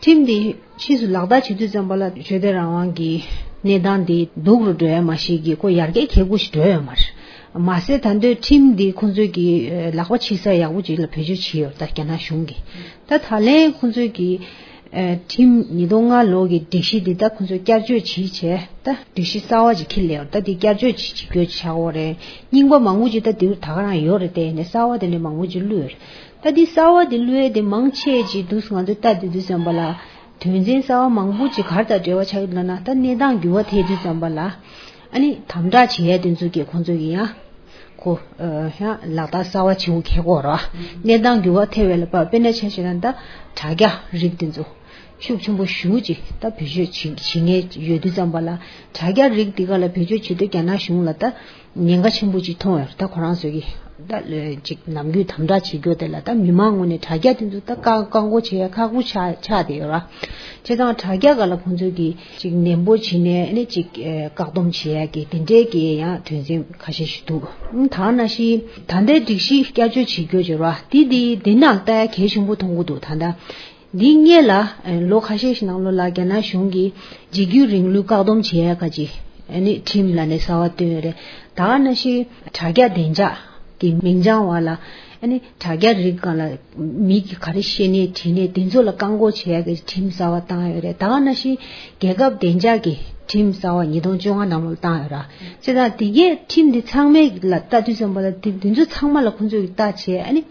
ཁྲིམས་དེ་ཕྱིས་སུ་ལག་བསྟར་བྱེད་དུས་ཙམ་པ་ལ་ཆོས་དད་རང་དབང་གི་གནས་སྟངས་དེ་སྡུག་རུ་འགྲོ་ཡ་མ་ཤེས་ཀྱི་ཁོ་ཡར་རྒྱས་གལ་པོ་ཞིག་འགྲོ་ཡོད་མ་རེད། མ་ཟད་ད་འདོད་ཁྲིམས་འདི་ཁོང་ཚོས་ཀྱི་ལག་པ་ཕྱིས་ས་ཡག་པོ་ཅིག་ལ་བེད་སྤྱོད་བྱས་ཡོད་ད་རྒྱ་ནག་གཞུང་གིས། ད་ད་ལན་ཁོང་ཚོས་ཀྱི་ཁྲིམས་ཉིས་སྟོང་ལྔ་ལོ་གི་སྒྲིག་གཞི་འདི་ད་ཁོང་ཚོས་བསྐྱར་བཅོས་བྱས་བྱས་ད་སྒྲིག་གཞི་གསར་བ་ཅིག་འཁྱེར་སླེབས་ཡོད་ད་འདི་བསྐྱར་བཅོས་ཅིག་བྱེད་དགོས་ཆགས་ཡོད་རེད། རྙིང་པ་མང་པོ་ཅིག་ད་འདིར་ད་ག་རང་ཡོད་རེད་དེ་ནས་གསར་བ་དེ་འདྲ་མང་པོ་ཅིག་བླུགས་ཡོད་རེད། ད་འདི་གསར་བ་དེ་བླུགས་ཡས་དེ་མང་ཆེ་ཅིག་འདུག་ང་ཚོས་ལྟ་དུས་དུས་ཙམ་པ་ལ། དོན་ཚན་གསར་བ་མང་པོ་ཅིག་ག་རེ་དང་འབྲེལ་བ་ཆགས་ཀྱི་འདུག་ལབ་ན་ད་གནས་སྟངས་འགྱུར་བ་ཐེབས་དུས་ཙམ་པ་ལ་ཨ་ནི་དམ་དྲག་བྱེད་ཡས་དེ་ཚོ་གིས་ཁོང་ཚོ་གིས་ཡང་ཁོ་ཡང་ལག་བསྟར་གསར་བ་བྱེད་དགོས་ཁེལ་གོ་ར་གནས་སྟངས་འགྱུར་བ་ཐེབས་པའི་ལ་དཔེར་ན་ཆ་བཞག་ན་ད་དྲ་རྒྱ་རིགས་དེ་ཚོ་ཤུགས་ཆེན་པོ་ཞེ་ཅིག་ད་བེད་སྤྱོད་བྱེད་བྱེད་མཁན་ཡོད་དུས་ཙམ་པ་ལ་དྲ་རྒྱ་རིགས་འདི་ག་ལ་བེད་སྤྱོད་བྱེད་དུས་རྒྱ་ནག་གཞུང་ལ་ད། ཉེན་ཁ་ཆེན་པོ་ཅིག་མཐོང་ཡོད་རེད་ད་ཁོ་རང་ཚོ་གིས་ད་ཅིག་ནམ་རྒྱུན་དམ་དྲག་བྱེད་རྒྱུ་དེ་ལ་ད་མི་མང་ངོས་ནས་དྲ་རྒྱ་དེ་ཚོ་ད་བཀག་བཀག་འགོག་བྱེད་ཡ་ཁག་པོ་ཆགས་ཆགས་བསྡད་ཡོད་ར། བྱས་ཙང་དྲ་རྒྱ་སྒང་ལ་ཁོང་ཚོ་གིས་ཅིག་ནན་པོ་བྱས་ནས་ཨ་ནི་ཅིག་བཀག་སྡོམ་བྱེད་ཡ་གི་དེ་འདྲའི་གི་ཡང་དོན་ཚན་ཁ་ཤས་ཤིག་འདུག་ད་ནང་བཞིན་ད་ལྟའི་སྒྲིག་གཞི་བསྐྱར་བཅོས་བྱེད་རྒྱུ་བྱེད་ར་དེ་དེ་དེ་ནང་ལྟ་ཡ་གལ་ཆེན་པོ་མཐོང་གི་འདུག་ད་ལྟ། འདིའི་སྔོན་ལ་ལོ་ཁ་ཤས་ཤིག་ནང་ལོགས་ལ་རྒྱ་ནག་གཞུང་གིས་འཇིགས་སྐུལ་རིང་ལུགས་བཀག་སྡོམ་བྱེད་ཡ་ག་ཅིག་ཨ་ནི་ཁྲིམས་ལ་ནས་གསར་བ་བཏོན་ཡོད་རེད། ད་ག་ནང་བཞིན་དྲ་རྒྱ་བདེ་འཇགས་ཀྱི་མིང་བྱང་བ་ལ་ཨ་ནི་དྲ་རྒྱ་རིགས་སྒང་ལ་མི་གིས་ག་རེ་བཤད་ནས་བྲིས་ནས་དེ་ཚོ་ལ་བཀག་འགོག་བྱེད་ཡ་གི་ཁྲིམས་གསར་བ་བཏང་ཡོད་རེད། ད་ག་ནང་བཞིན་རྒྱལ་ཁབ་བདེ་འཇགས་ཀྱི་ཁྲིམས་གསར་བ་ཉིས་སྟོང་བཅོ་ལྔ་ནང་ལོགས་ལ་བཏང་ཡོད་ར། བྱས་ཙང་དེ་གའི་ཁྲིམས་འདི་ཚང་མའི་ལ་ལྟ་དུས་ཙམ་པ་ལ་དེ་དེ་ཚོ་ཚང་མ་ལ་ཁོང་ཚོས་ལྟ་བྱས་ཨ་ནི།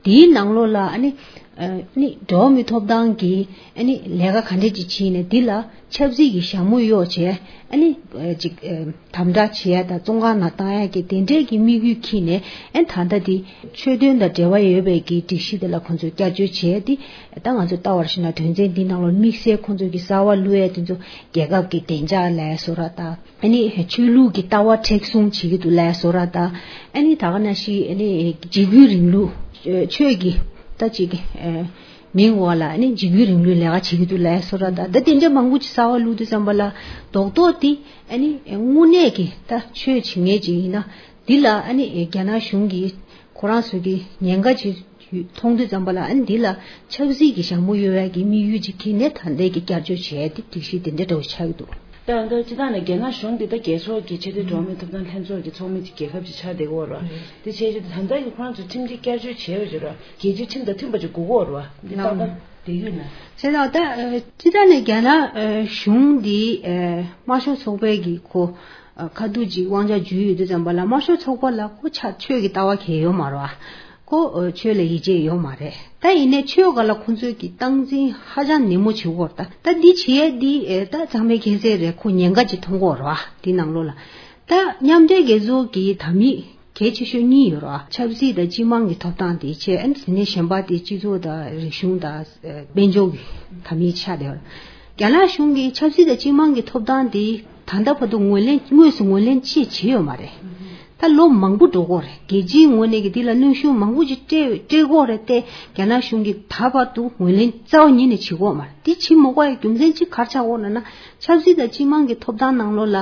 དེའི་ནང་ལོགས་ལ་ཨ་ནི་ཨ་ནི་འགྲོ་བ་མིའི་ཐོབ་ཐང་གི་ཨ་ནི་ལས་ཀ་ག་འདྲས་ཅིག་བྱས་ནས་འདི་ལ་ཆབ་སྲིད་ཀྱི་ཞྭ་མོ་གཡོགས་བྱས་ཨ་ནི་ཅིག་དམ་དྲག་བྱེད་ཡ་དང་བཙོན་ཁང་ནང་བཏང་ཡ་གི་དེ་འདྲས་ཀྱི་དམིགས་ཡུལ་འཁྱེར་ནས་ཨ་ནི་ད་ལྟ་འདི་ཆོས་དོན་དང་འབྲེལ་བ་ཡོད་པའི་གི་སྒྲིག་གཞི་དེ་ལ་ཁོང་ཚོས་བསྐྱར་བཅོས་བྱས་ཏེ་ད་ང་ཚོས་ལྟ་བར་ཞིག་ན་དོན་ཚན་འདི་ནང་ལ་དམིགས་བསལ་ཁོང་ཚོས་ཀྱི་གསར་བ་བླུགས་ཡ་དེ་ཚོ་རྒྱལ་ཁབ་ཀྱི་བདེ་འཇགས་ལ་བཟོ་ར་དང་། ཨ་ནི་ཆོས་ལུགས་ཀྱི་ལྟ་བ་མཁྲེགས་བཟུང་བྱེད་ཀྱི་འདུག་ལབ་བཟོ་འདྲ་དང་། ཨ་ནི་ད་ག་ནང་བཞིན་ཨ་ནི་འཇིགས་སྐུལ་རིང་ལུགས་ཆོས་ཀྱི་ད་ཅིག་མིང་འོག་ལ་ཨ་ནི་འཇིགས་སྐུལ་རིང་ལུགས་ལས་ཀ་བྱེད་ཀྱི་འདུག་ལབ་བཟོ་འདྲ་དང་ད་དེ་འདྲ་མང་པོ་ཅིག་གསར་བ་བླུགས་དུས་ཙམ་པ་ལ་རྡོག་རྡོག་དེ་ཨ་ནི་དངོས་གནས་ཀྱི་ད་ཆོས་བྱེད་མཁན་ཅིག་ཡིན་ན་འདི་ལ་ཨ་ནི་རྒྱ་ནག་གཞུང་གིས་ཁོ་རང་ཚོ་གི་ཉེན་ཁ་ཅིག་མཐོང་དུས་ཙམ་པ་ལ་ཨ་ནི་འདི་ལ་ཆབ་སྲིད་ཀྱི་ཞྭ་མོ་གཡོག་ཡ་གི་དམིགས་ཡུལ་ཅིག་འཁྱེར་ནས་ད་ལྟའི་གི་བསྐྱར་བཅོས་བྱས་ཏེ་སྒྲིག་གཞི་དེ་འདྲ་འདྲ་བོ་ཆགས་ཀྱི་འདུག་ད་ལྟ་སྤྱི་བཏང་ནས་རྒྱ་ནག་གཞུང་འདི་ད་རྒྱལ་ཚོགས་ཀྱི་ཆེས་མཐོའི་འགྲོ་བ་མིའི་ཐོབ་ཐང་ལྷན་ཚོགས་ཀྱི་ཚོགས་མི་གི་རྒྱལ་ཁབ་ཅིག་ཆགས་བསྡད་ཀྱི་ཡོད་རེད་བ། དེ་བྱས་རྗེས་ད་ལྟ་གི་ཁོ་རང་ཚོ་ཁྲིམས་སྒྲིག་བསྐྱར་བཅོས་བྱས་ཡོད་ཀྱི་རེད་བ། རྒྱལ་སྤྱིའི་ཁྲིམས་དང་མཐུན་པ་ཅིག་དགོས་ཀྱི་ཡོད་རེད་བ། འདི་ཏག་ཏག་དེ་ཡོད་ན། བྱས་ཙང་ད་སྤྱི་བཏང་ནས་རྒྱ་ནག་གཞུང་འདི་དམར་ཤོག་ཚོགས་པའི་གི་ཁོ་ཁ་ཐུག་ཅིག་དབང་ཆ་འཇུས་ཡོད་དུས་ཙམ་པ་ལ་དམར་ཤོག་ཚོགས་པ་ལ་ཁོ་ཆ་ཆོས་ཀྱི་ལྟ་བ་གང་ཡང་ཡོད་མ་རེད་བ། ཁོ་ཆོས་ལ་ཡིད་ཆེས་ཡོད་མ་རེད། ད་ཡིན་ནའི་ཆོས་སྒང་ལ་ཁོ་ཚོས་ཀྱི་སྟངས་འཛིན་ཧ་ཅང་ནན་མོ་བྱེད་ཀྱི་ཡོད་རེད། ད་ད་འདི་བྱེད་ཡས་འདི་ད་ཚང་མས་མཁྱེན་གསལ་རེད། ཁོ་ཉེན་ཁ་ཅིག་མཐོང་གི་ཡོད་རེད་བ། འདི་ནང་ལོགས་ལ་ད་མཉམ་འབྲེལ་རྒྱལ་ཚོགས་ཀྱི་དམ་ཡིག་གལ་ཆེ་ཤོས་གཉིས་ཡོད་རེད་བ། ཆབ་སྲིད་དང་སྤྱི་དམངས་ཀྱི་ཐོབ་ཐང་དེ་བྱས། ཨ་ནི་དེ་ནས་གཞན་པ་དེ་སྤྱི་ཚོགས་དང་རིག་གཞུང་དང་དཔལ་འབྱོར་གྱི་དམ་ཡིག་ཆགས་བསྡད་ཡོད་རེད། རྒྱ་ནག་གཞུང་གིས་ཆབ་སྲིད་དང་སྤྱི་དམངས་ཀྱི་ཐོབ་ཐང་དེ་ད་ལྟ་བར་དུ་ངོས་ལེན་དངོས་སུ་ངོས་ལེན་ཅིག་བྱས་ཡོད་མ་རེད། ད་ལོ་མང་པོ་འགྲོ་གི་ཡོད་རེད། རྒྱལ་སྤྱིའི་ངོས་ནས་ཀྱི་འདི་ལ་གནོན་ཤུགས་མང་པོ་ཅིག་སྤྲད་སྤྲད་ཀྱི་ཡོད་རེད་དེ། རྒྱ་ནག་གཞུང་གིས་ད་བར་དུ་ངོས་ལེན་རྩ་བ་ཉིད་ནས་བྱེད་ཀྱི་ཡོད་མ་རེད། དེ་བྱེད་མ་དགོས་པའི་རྒྱུ་མཚན་གཅིག་ག་རེ་ཆགས་ཀྱི་ཡོད་ལབ་ན། ཆབ་སྲིད་དང་སྤྱི་དམངས་ཀྱི་ཐོབ་ཐང་ནང་ལོགས་ལ་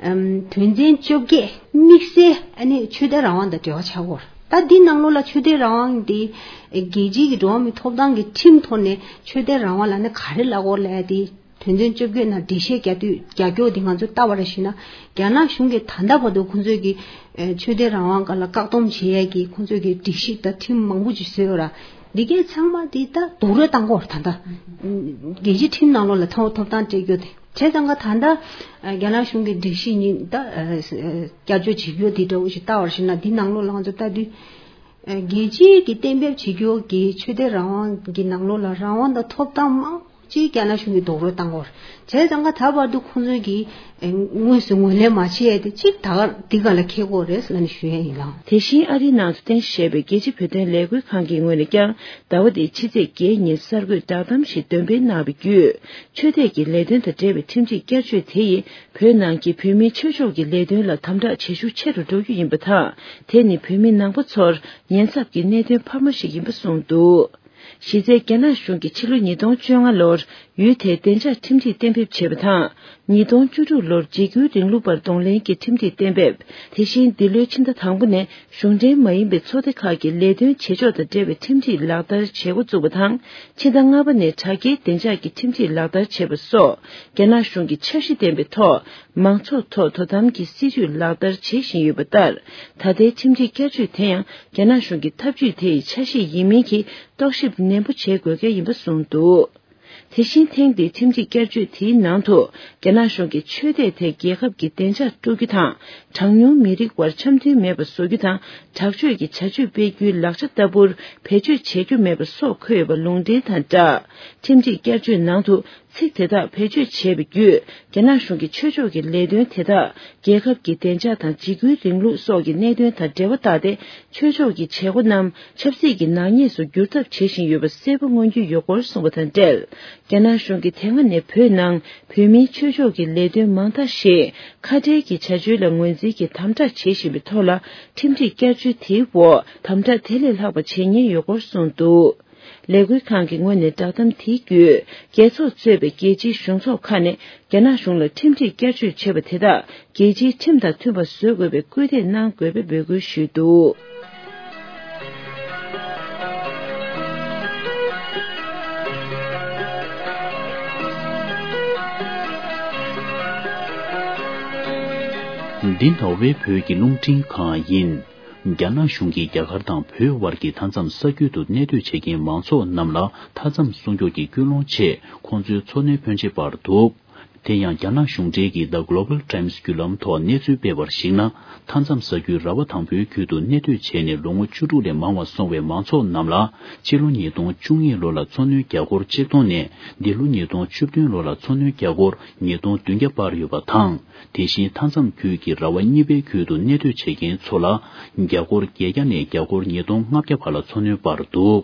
ཨམ་དོན་ཚན་བཅོ་བརྒྱད་དམིགས་བསལ་ཨ་ནི་ཆོས་དད་རང་དབང་དང་འབྲེལ་བ་ཆགས་ཀྱི་ཡོད་རེད། ད་འདི་ནང་ལོགས་ལ་ཆོས་དད་རང་དབང་འདི་རྒྱལ་སྤྱིའི་གི་འགྲོ་བ་མིའི་ཐོབ་ཐང་གི་ཁྲིམས་ཐོག་ནས་ཆོས་དད་རང་དབང་ལབ་ན་ག་རེ་ལབ་ཀྱི་ཡོད་ལབ་ཡ་དེ། དོན་ཚན་བཅོ་བརྒྱད་ནང་འགྲེལ་བཤད་རྒྱག་དུས་རྒྱག་རྒྱུ་དེ་ང་ཚོས་ལྟ་བ་རེ་ཞུས་ན། རྒྱ་ནག་གཞུང་གིས་ད་ལྟ་བར་དུ་ཁོང་ཚོས་ཀྱི་ཨེ་ཆོས་དད་རང་དབང་སྒང་ལ་བཀག་སྡོམ་བྱེད་ཡས་ཀྱི་ཁོང་ཚོས་ཀྱི་སྒྲིག་གཞི་དང་ཁྲིམས་མང་པོ་ཅིག་བཟོས་ཡོད་ར། འདི་གའི་ཚང་མ་དེ་ད་རྡོག་རོལ་བཏང་གི་ཡོད་རེད། ད་ལྟ་རྒྱལ་སྤྱིའི་ཁྲིམས་ནང་ལོགས་ལ་ཐོབ་ཐོབ་ཐང་སྤྲད་རྒྱུ་དེ། བྱས་ཙང་ཀ་ད་ལྟ་ཨེ་རྒྱ་ནག་གཞུང་གི་སྒྲིག་གཞི་གཉིས་ད་ཨེ་བསྐྱར་བཅོས་བྱེད་རྒྱུ་དེ་འདྲ་བོ་ཞིག་ལྟ་བ་རེ་ཞུས་ན། འདི་ནང་ལོགས་ལ་ང་ཚོ་ལྟ་དུས། ཨེ་རྒྱལ་སྤྱིའི་གི་གཏན་འབེབས་བྱེད་རྒྱུ་གི་ཆོས་དད་རང་དབང་གི་ནང་ལོགས་ལ་རང་དབང་དང་ཐོབ་ཐང་མང་པོ་ཅིག་རྒྱ་ནག་གཞུང་གིས་རྡོག་རོལ་བཏང་གི་ཡོད་རེད། བྱས་ཙང་ཀ་ད་བར་དུ་ཁོང་ཚོས་ཀྱིས་ཨེ་དངོས་སུ་ངོས་ལེན་མ་བྱས་ཏེ་གཅིག་ད་ག་འདི་སྒང་ལ་འཁེལ་གྱི་ཡོད་རེད་ཟེར་ནས་ཞུ་ཡ་ཡིན་ལགས། དེ་བཞིན་ཨ་རིའི་ནང་དུ་རྟེན་གཞི་བྱས་པའི་རྒྱལ་སྤྱིའི་བོད་དོན་ལས་འགུལ་ཁང་གི་ངོས་ནས་ཀྱང་ཟླ་བ་འདིའི་ཕྱི་ཚེས་བརྒྱད་ཉིན་གསར་འགོད་བསྒྲགས་གཏམ་ཞིག་འདོན་སྤེལ་གནང་བའི་བརྒྱུད། ཆོས་དད་ཀྱི་ལས་དོན་དང་འབྲེལ་བའི་ཁྲིམས་སྒྲིག་བསྐྱར་བཅོས་དེ་ཡིས་བོད་ནང་གི་བོད་མིའི་ཆོས་ཕྱོགས་ཀྱི་ལས་དོན་ལ་དམ་དྲག་བྱེད་ཤུགས་ཆེ་རུ་འགྲོ་རྒྱུ་ཡིན་པ་དང་། དེ་ནི་བོད་མི་ནང་པ་ཚོར་ཉེན་ཚབས་ཀྱི་གནད་དོན་འཕར་མ་ཞིག་ཡིན་པ་གསུངས་འདུག་གཞི་རྩའི་རྒྱ་ནག་གཞུང་གིས་ཕྱི་ལོ་ཉིས་སྟོང་བཅོ་ལྔ་ལོར་ཡུལ་དེའི་བདེ་འཇགས་ཁྲིམས་སྒྲིག་གཏན་འབེབས་བྱས་པ་དང་། ཉིས་སྟོང་བཅུ་དྲུག་ལོར་འཇིགས་སྐུལ་རིང་ལུགས་པར་གདོང་ལེན་གྱི་ཁྲིམས་སྒྲིག་གཏན་འབེབས། དེ་བཞིན་འདི་ལོའི་ཕྱི་ཟླ་དང་པོ་ནས་གཞུང་འབྲེལ་མ་ཡིན་པའི་ཚོགས་སྡེ་ཁག་གི་ལས་དོན་བྱེད་ཕྱོགས་དང་འབྲེལ་བའི་ཁྲིམས་སྒྲིག་ལག་བསྟར་བྱེད་འགོ་བཙུགས་པ་དང་། ཕྱི་ཟླ་ལྔ་པ་ནས་དྲ་རྒྱའི་བདེ་འཇགས་ཀྱི་ཁྲིམས་སྒྲིག་ལག་བསྟར་བྱས་པ་སོགས། རྒྱ་ནག་གཞུང་གི་འཆར་གཞི་ལྡན་པའི་ཐོག་མང་ཚོགས་ཐོག་དོ་དམ་གྱི་སྲིད་ཇུས་ལག་བསྟར་བྱེད་བཞིན་ཡོད་པ་ལྟར། ད་ལྟའི་ཁྲིམས་སྒྲིག་བསྐྱར་བཅོས་དེ་ཡང་རྒྱ་ནག་གཞུང་གི་ཐབས་ཇུས་དེ་ཡི་ཆ་ཤས་ཡིན་མིན་གྱི་རྟོག་ཞིབ་ནན་པོ་བྱེད་དགོས་གལ་ཡིན་པ་གསུངས་འདུག་དེ་བཞིན་ཐེངས་འདིའི་ཁྲིམས་སྒྲིག་བསྐྱར་བཅོས་དེའི་ནང་དུ། རྒྱ་ནག་གཞུང་གིས་ཆོས་དད་དེ་རྒྱལ་ཁབ་ཀྱི་བདེ་འཇགས་དཀྲུག་རྒྱུ་དང་། གྲངས་ཉུང་མི་རིགས་དབར་འཆམ་མཐུན་མེད་པ་བཟོ་རྒྱུ་དང་། དྲག་སྤྱོད་ཀྱི་བྱ་སྤྱོད་སྤེལ་རྒྱུའི་ལག་ཆ་ལྟ་བུར་བེད་སྤྱོད་བྱེད་རྒྱུ་མེད་པ་སོགས་འཁོད་ཡོད་པ་ལུང་འདྲེན་དང་སྦྲགས། ཁྲིམས་སྒྲིག་བསྐྱར་བཅོས་ནང་དུ་ཚིག་དེ་དག་བེད་སྤྱོད་བྱས་པའི་བརྒྱུད། རྒྱ་ནག་གཞུང་གིས་ཆོས་ཕྱོགས་ཀྱི་ལས་དོན་དེ་དག་རྒྱལ་ཁབ་ཀྱི་བདེ་འཇགས་དང་འཇིགས་སྐུལ་རིང་ལུགས་སོགས་ཀྱི་གནད་དོན་དང་འབྲེལ་བ་བཏགས་ཏེ། ཆོས་ཕྱོགས་ཀྱི་བྱེད་སྒོ་རྣམས་ཆབ་སྲིད་ཀྱི་ནག་ཉེས་སུ་འགྱུར་ཐབས་བྱེད་བཞིན་ཡོད་པ་གསལ་པོ་མངོན་རྒྱུ་ཡོད་སྐོར་གསུངས་པ་དང་འབྲེལ། རྒྱ་ནག་གཞུང་གིས་དེ་སྔ་ནས་བོད་ནང་བོད་མིའི་ཆོས་ཕྱོགས་ཀྱི་ལས་དོན་མང་དག་ཞིག་ཁ་བྲལ་གྱི་བྱ་སྤྱོད་ལ་ངོས་འཛིན་གྱིས་དམ་དྲག་བྱེད་བཞིན་པའི་ཐོག་ལ། ཁྲིམས་སྒྲིག་བསྐྱར་བཅོས་དེའི་འོག་དམ་དྲག་དེ་ལས་ལྷག་པ་བྱེད་ཉེན་ཡོད་སྐོར་གསུངས་འདུག་ལས་འགུལ་ཁང་གི་ངོས་ནས་བསྒྲགས་གཏམ་དེའི་བརྒྱུད། རྒྱལ་ཚོགས་གཙོས་པའི་རྒྱལ་སྤྱིའི་གཞུང་ཚོགས་ཁག་ནས་རྒྱ་ནག་གཞུང་ལ་ཁྲིམས་སྒྲིག་བསྐྱར་བཅོས་བྱས་པ་དེ་དག་རྒྱལ་སྤྱིའི་ཁྲིམས་དང་མཐུན་པ་བཟོ་དགོས་པའི་སྐུལ་འདེད་གནང་དགོས་པའི་འབོད་སྐུལ་ཞུས་འདུག་འདི་ནོར་ཝེ་བོད་ཀྱི་རླུང་འཕྲིན་ཁང་ཡིན། རྒྱ་ནག་གཞུང་གིས་རྒྱ་གར་དང་བོད་དབར་གྱི་མཐའ་མཚམས་ས་ཁུལ་དུ་གནས་སྡོད་བྱེད་མཁན་མང་ཚོགས་རྣམས་ལ་མཐའ་མཚམས་སྲུང་སྐྱོབ་ཀྱི་སྐུལ་སློང་ཆེད་ཁོང་ཚོའི་འཚོ་སྣོན་ཕོན་ཆེ་སྤར་འདུག་དེ་ཡང་རྒྱ་ནག་གཞུང་འབྲེལ་གྱི་The Global Times་བརྒྱུད་ལམ་ཐོག་གནས་ཚུལ་སྤེལ་བར་གཞིགས་ན། མཐའ་མཚམས་ས་ཁུལ་ར་བ་དང་པོའི་ཁུལ་དུ་གནས་སྡོད་བྱས་ནས་ལོ་ངོ་བཅུ་དྲུག་ལས་མང་བ་སོང་བའི་མང་ཚོགས་རྣམས་ལ། ཕྱི་ལོ་ཉིས་སྟོང་བཅུ་གཉིས་ལོ་ལ་འཚོ་སྣོན་རྒྱ་སྒོར་ཆིག་སྟོང་ནས། འདི་ལོ་ཉིས་སྟོང་བཅུ་བདུན་ལོ་ལ་འཚོ་སྣོན་རྒྱ་སྒོར་ཉིས་སྟོང་བདུན་བརྒྱ་སྤར་ཡོད་པ་དང་། དེ་བཞིན་མཐའ་མཚམས་ཁུལ་གྱི་ར་བ་གཉིས་པའི་ཁུལ་དུ་གནས་སྡོད་བྱེད་མཁན་ཚོ་ལ་རྒྱ་སྒོར་བརྒྱད་བརྒྱ་ནས་རྒྱ་སྒོར་ཉིས་སྟོང་ལྔ་བརྒྱ་བར་ལ་འཚོ་སྣོན་སྤར་འདུག་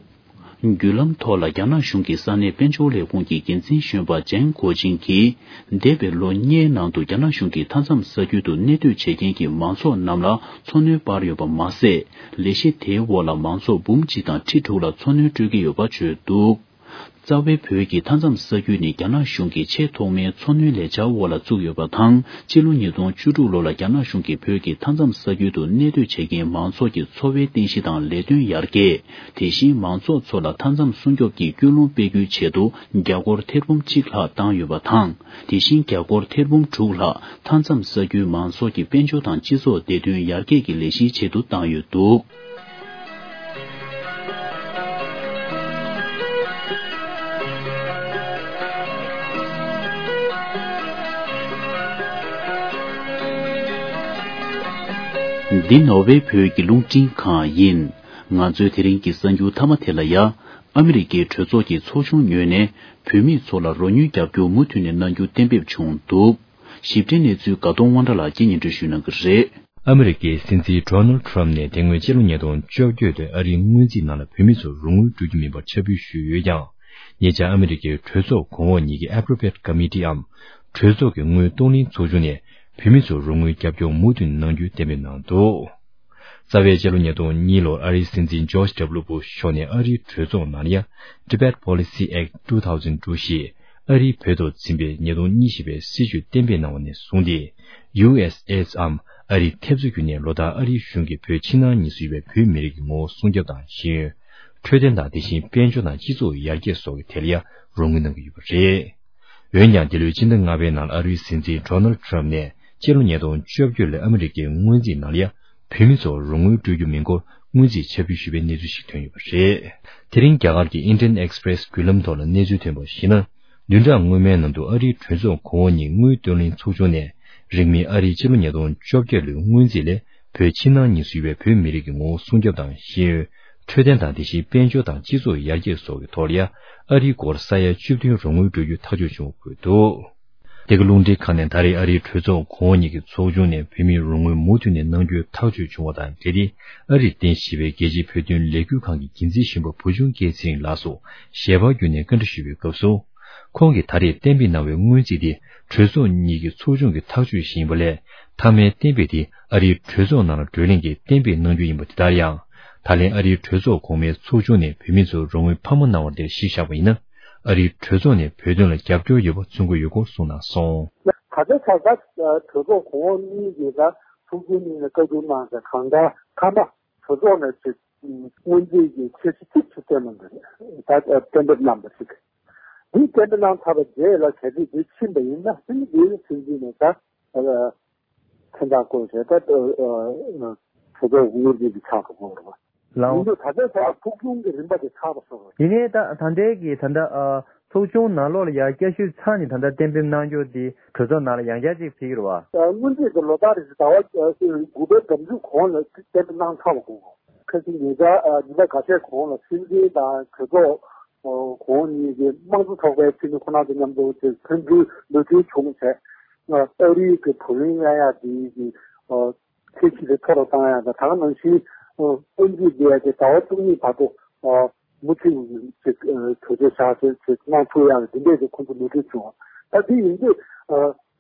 བརྒྱུད་ལམ་ཐོག་ལ་རྒྱ་ནག་གཞུང་གི་ས་གནས་དཔལ་འབྱོར་ལས་ཁུངས་ཀྱི་འགན་འཛིན་གཞོན་པ་ཇན་གོ་ཅིང་གིས། འདས་པའི་ལོ་ལྔའི་ནང་དུ་རྒྱ་ནག་གཞུང་གིས་མཐའ་མཚམས་ས་ཁུལ་དུ་གནས་སྡོད་བྱེད་མཁན་གྱི་མང་ཚོགས་རྣམས་ལ་འཚོ་སྣོན་སྤར་ཡོད་པ་མ་ཟད། ལས་གཞི་དེའི་འོག་ལ་མང་ཚོགས་འབུམ་གཅིག་དང་ཁྲི་དྲུག་ལ་འཚོ་སྣོན་སྤྲོད་ཀྱི་ཡོད་པ་བརྗོད་འདུག་རྩ་བའི་བོད་ཀྱི་མཐའ་མཚམས་ས་ཁུལ་ནི་རྒྱ་ནག་གཞུང་གི་ཆེས་ཐོག་མའི་མཚོ་སྣོན་ལས་འཆར་འོག་ལ་བཙུགས་ཡོད་པ་དང་། སྤྱི་ལོ་ཉིས་སྟོང་བཅུ་དྲུག་ལོ་ལ་རྒྱ་ནག་གཞུང་གིས་བོད་ཀྱི་མཐའ་མཚམས་ས་ཁུལ་དུ་གནས་སྡོད་བྱེད་མཁན་མང་ཚོགས་ཀྱི་འཚོ་བའི་རྟེན་གཞི་དང་ལས་དོན་ཡར་རྒྱས། དེ་བཞིན་མང་ཚོགས་ཚོ་ལ་མཐའ་མཚམས་སྲུང་སྐྱོབ་ཀྱི་སྐུལ་སློང་སྤེལ་རྒྱུའི་ཆེད་དུ་རྒྱ་སྒོར་ཐེར་འབུམ་གཅིག་ལྷག་བཏང་ཡོད་པ་དང་། དེ་བཞིན་རྒྱ་སྒོར་ཐེར་འབུམ་དྲུག་ལྷག་མཐའ་མཚམས་ས་ཁུལ་མང་ཚོགས་ཀྱི་དཔལ་འབྱོར་དང་སྤྱི་ཚོགས་བདེ་དོན་ཡར་རྒྱས་ཀྱི་ལས་གཞིའི་ཆེད་དུ་བཏང་ཡོད་འདུག། འདི་ནོར་ཝེ་བོད་ཀྱི་རླུང་འཕྲིན་ཁང་ཡིན། ང་ཚོའི་དེ་རིང་གི་གསར་འགྱུར་མཐའ་མ་དེ་ལ་ཡ། ཨ་མི་རི་ཀའི་གྲོས་ཚོགས་ཀྱི་ཚོགས་ཆུང་ངོས་ནས་བོད་མི་ཚོ་ལ་རོགས་དངུལ་རྒྱབ་སྐྱོར་མུ་མཐུད་ནས་གནང་རྒྱུ་གཏན་འབེབས་བྱུང་འདུག། ཞིབ་ཕྲའི་གནས་ཚུལ་དགའ་གདོང་དབང་གྲགས་ལགས་ཀྱིས་སྙན་སྒྲོན་ཞུ་གནང་གི་རེད། ཨ་མི་རི་ཀའི་སྲིད་འཛིན་ཌོ་ནལ་ཊམ་ནས་དེ་སྔོན་ཕྱི་ལོ་ཉིས་སྟོང་བཅོ་བརྒྱད་དུ་ཨ་རིའི་སྔོན་རྩིས་ནང་ལ་བོད་མི་ཚོར་རོགས་དངུལ་སྤྲོད་རྒྱུ་མིན་པར་ཁྱབ་སྤེལ་ཞུས་ཡོད་ཀྱང་། ཉེ་ཆར་ཨ་མི་རི་ཀའི་གྲོས་ཚོགས་གོང་འོག་གཉིས་ཀྱི་Appropriate Committee འམ་གྲོས་ཚོགས་ཀྱི་དངུལ་གཏོང་ལེན་ཚོགས་ཆུང་ནས་བོད་མི་ཚོར་རོགས་དངུལ་རྒྱབ་སྐྱོར་མུ་མཐུད་གནང་རྒྱུ་གཏན་འབེབས་གནང་འདུག། རྩ་བའི་ཕྱི་ལོ་ཉིས་སྟོང་གཉིས་ལོར་ཨ་རིའི་སྲིད་འཛིན་ཇོརྗ་ཌབ་ལུ་བུ་ཤ་མཆོག་ནས་ཨ་རིའི་གྲོས་ཚོགས་ནང་ལ་ཡ། Tibet Policy Act two thousand two ཞེས་ཨ་རིའི་བོད་ཐོག་འཛིན་པའི་ཉིས་སྟོང་གཉིས་བཞི་པའི་སྲིད་བྱུས་གཏན་འབེབས་གནང་བ་ནས་བཟུང་སྟེ། ཡུ་ཨེས་ཨེ་སི་འམ་ཨ་རིའི་ཐེབས་རྩ་བརྒྱུད་ནས་ལོ་ལྟར་ཨ་རིའི་གཞུང་གིས་བོད་ཕྱི་ནང་གཉིས་སུ་ཡོད་པའི་བོད་མི་རིགས་ཀྱི་ངོ་བོ་སྲུང་སྐྱོབ་དང་ཤེས་ཡོན། འཕྲོད་བསྟེན་དང་དེ་བཞིན་དཔལ་འབྱོར་དང་སྤྱི་ཚོགས་ཡར་རྒྱས་སོགས་ཀྱི་ཐད་ལ་ཡང་རོགས་དངུལ་གནང་གི་ཡོད་པ་རེད། འོན་ཀྱང་འདི་ལོའི་སྤྱི་ཟླ་ལྔ་པའི་ནང་ལ་ཨ་རིའི་སྲིད་འཛིན་ཌོ་ནལ་ཊམ་ནས་སྤྱི་ལོ་ཉིས་སྟོང་བཅོ་བརྒྱད་ལོའི་ཨ་མི་རི་ཀའི་སྔོན་རྩིས་ནང་ལ་ཡང་བོད་མི་ཚོར་རོགས་དངུལ་སྤྲོད་རྒྱུ་མིན་སྐོར་སྔོན་རྩིས་ཕྱིར་འབུད་ཞུས་པའི་གནས་ཚུལ་ཞིག་ཐོན་ཡོད་པ་རེད། དེ་རིང་རྒྱ་གར་གྱི་Indian Express བརྒྱུད་ལམ་ཐོག་ལ་གནས་ཚུལ་ཐོན་པར་གཞིགས་ན། བདུན་ཕྲག་སྔོན་མའི་ནང་དུ་ཨ་རིའི་གྲོས་ཚོགས་གོང་འོག་གཉིས་དངུལ་བཏོན་ལེན་ཚོགས་ཆུང་ནས་རིང་མིན་ཨ་རིའི་ཕྱི་ལོ་ཉིས་སྟོང་བཅོ་བརྒྱད་ལོའི་སྔོན་རྩིས་ལས་བོད་ཕྱི་ནང་གཉིས་སུ་ཡོད་པའི་བོད་མི་རིགས་ཀྱི་ངོ་བོ་སྲུང་སྐྱོབ་དང་ཤེས་ཡོན། འཕྲོད་བསྟེན་དང་དེ་བཞིན་དཔལ་འབྱོར་དང་སྤྱི་ཚོགས་ཡར་རྒྱས་སོགས་ཀྱི་ཐོག་ལ་ཡང་ཨ་རིའི་སྒོར་ས་ཡ་བཅུ་བདུན་རོགས་དངུལ་སྤྲོད་རྒྱུ་ཐག་གཅོད་བྱུང་བ་འཁོད་འདུག། འདི་ག་རླུང་འཕྲིན་ཁང་ནས་ད་རེས་ཨ་རིའི་གྲོས་ཚོགས་གོང་འོག་གཉིས་ཀྱི་ཚོགས་ཆུང་ནས་བོད་མིར་རོགས་དངུལ་མུ་མཐུད་ནས་གནང་རྒྱུའི་ཐག་གཅོད་བྱུང་བ་དང་འབྲེལ་ཏེ། ཨ་རིར་རྟེན་གཞི་བྱས་པའི་རྒྱལ་སྤྱིའི་བོད་དོན་ལས་འགུལ་ཁང་གི་འགན་འཛིན་གཞོན་པ་བུ་ཆུང་སྐལ་ཚེ་རིང་ལགས་སུ་ཞལ་པར་བརྒྱུད་ནས་བཀའ་འདྲི་ཞུས་པའི་སྐབས་སུ། ཁོང་གིས་ད་རེས་གཏན་འབེབས་གནང་བའི་སྔོན་རྩིས་དེ་གྲོས་ཚོགས་གཉིས་ཀྱི་ཚོགས་ཆུང་གི་ཐག་གཅོད་ཞིག་ཡིན་པ་ལས། མཐའ་མའི་གཏན་འབེབས་དེ་ཨ་རིའི་གྲོས་ཚོགས་ནང་ལ་བགྲོ་གླེང་གིས་གཏན་འབེབས་གནང་རྒྱུ་ཡིན་པ་དེ་ལྟར་ཡང་། ད་ལན་ཨ་རིའི་གྲོས་ཚོགས་གོང་མའི་ཚོགས་ཆུང་ནས་བོད་མི་ཚོར་རོགས་དངུལ་འཕར་མ་གནང་བ་དེར་གཞི་བཞག་པ་ཡིན་ན། ཨ་རིའི་གྲོས་ཚོགས་ནས་བོད་དོན་ལ་རྒྱབ་སྐྱོར་ཡོད་པ་མཚོན་གྱི་ཡོད་སྐོར་གསུངས་གནང་སོང་། ད་ལྟའི་ཆར་ད་གྲོས་ཚོགས་གོང་འོག་གཉིས་ཀྱིས་ད་ཚོགས་ཆུང་གཉིས་ནས་བཀའ་བསྡུར་གནང་ཚེ་གང་ལྟར་མཐའ་མ་གྲོས་ཚོགས་ནས་ཅིག་སྔོན་རྩིས་ཀྱི་ཆེད་ཆེད་ཆེད་གཏན་ནས་ད་གཏན་འབེབས་གནང་པ་ཞིག་འདི་གཏན་འབེབས་གནང་ཚར་བ་རྗེས་ལ་གལ་སྲིད་འདི་ཕྱིན་པ་ཡིན་ན་ཕྱིན་འདིའི་ཚུན་ཚོད་ནས་ད་མཚན་རྟགས་བཀོད་བྱས་ད་གྲོས་ཚོགས་དངུལ་རྩིས་ཀྱི་ཆགས་སུ་འགྲོ་བ་རེད། ལའོ། ཡིན་དུས་ད་ལྟའི་ཆར་ཚོགས་ཆུང་གི་རིམ་པ་དེ་ཆགས་པ་སོང་བ་རེད། ཡིན་ནའི་ད་ད་ལྟའི་གི་ད་ལྟ་ཚོགས་ཆུང་ནང་ལོགས་ལ་ཡར་བསྐྱར་ཞིབ་ཚར་ནས་ད་ལྟ་གཏན་འབེབས་གནང་རྒྱུ་དེ་གྲོས་ཚོགས་ནང་ལ་ཡང་བསྐྱར་ཅིག་ཕེབས་ཀྱི་རེད་བ། སྔོན་རྩིས་ཀྱི་ལོ་ལྟར་རེ་བཞིན་ཟླ་བ་དགུ་པའི་མདང་ཚུན་གོང་ལ་གཏན་འབེབས་གནང་ཚར་བ་དགོས། ཁ་སང་ཉེ་ཆར་ཉིན་གྲངས་ཁ་ཤས་གོང་ལ་སྲིད་འཛིན་དང་གྲོས་ཚོགས་གོང་འོག་གཉིས་ཀྱི་དམངས་གཙོ་ཚོགས་པའི་འཐུས་མི་ཁོ་ན་ཚོ་མཉམ་དུ་དེ་ཐོན་རྒྱུའི་མོས་མཐུན་བྱུང་བྱས། ཨ་རིའི་གི་བགྲོ་གླེང་གནང་ཡག་དེ་གི་ཚད་གཞི་དེ་མཐོ་རུ་བཏང་ཡག་དང་ད་ག་ནང་བཞིན་སྔོན་རྩིས་དེ་ཡ་དེ་ཟླ་བ་བཅུ་གཉིས་བར་དུ་མུ་མཐུད་ཅིག་གྲོས་ཆོད་བཞག་ཅིག་གནང་ཐུབ་ཡག་གི་དེ་འདྲས་ཀྱི་ཁོང་ཚོ་མོས་མཐུན་བྱུང་། ད་དེ་ཡིན་དུས་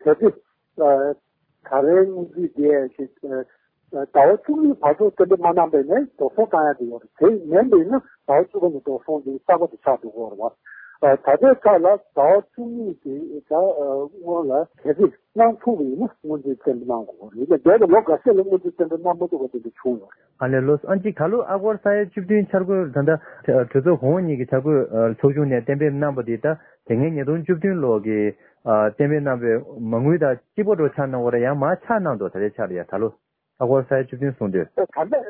གལ་ཏེ། ད་རེས་སྔོན་རྩིས་དེ་ཞིག་ཟླ་བ་བཅུ་གཉིས་བར་དུ་གཏན་འབེབས་མ་གནང་པ་ཡིན་ན་འགྲོ་སོང་བཏང་ཡ་དེ་ཡོད་རེད། དེ་མིན་པ་ཡིན་ན་ཟླ་བ་བཅུ་པ་ནས་འགྲོ་སོང་དེ་གསར་པ་དེ་ཆགས་འགྲོ་གི་ཡོད་རེད་བ། ད་ལྟའི་ཆ་ལ་ཟླ་བ་བཅུ་གཉིས་དེ་ད་སྔོན་ལ་གལ་སྲིད་གནང་ཐུབ་པ་ཡིན་ན་སྔོན་རྩིས་གཏན་འབེབས་གནང་དགོས་རེད། ཡིན་ན་འདས་པའི་ལོ་འགའ་ཤས་ལ་སྔོན་རྩིས་གཏན་འབེབས་གནང་མ་ཐུབ་པ་དེ་འདྲ་བྱུང་ཡོད་རེད། ཨ་ལས་ལོ་ཨ་ཅིག་ད་ལོ་ཨ་སྒོར་ས་ཡ་བཅུ་བདུན་འཆར་འགོད་ད་ལྟ་གྲོས་ཚོགས་གོང་འོག་གཉིས་ཀྱི་འཆར་འགོད་ཚོགས་ཆུང་ནས་གཏན་འབེབས་གནང་པ་དེ་ད་དེ་སྔའི་ཉིས་སྟོང་བཅུ་བདུན་ལོ་གི་གཏན་འབེབས་གནང་བའི་མ་དངུལ་དང་གཅིག་པ་འདྲ་ཆགས་གནང་བ་རེད། ཡང་མར་ཆག་གནང་འདུག་ད་ལྟའི་ཆར་ཡ་ད་ལོ། ཨ་སྒོར་ས་ཡ་བཅུ་བདུན་གསུངས་དུས། ད་ལྟ་ད་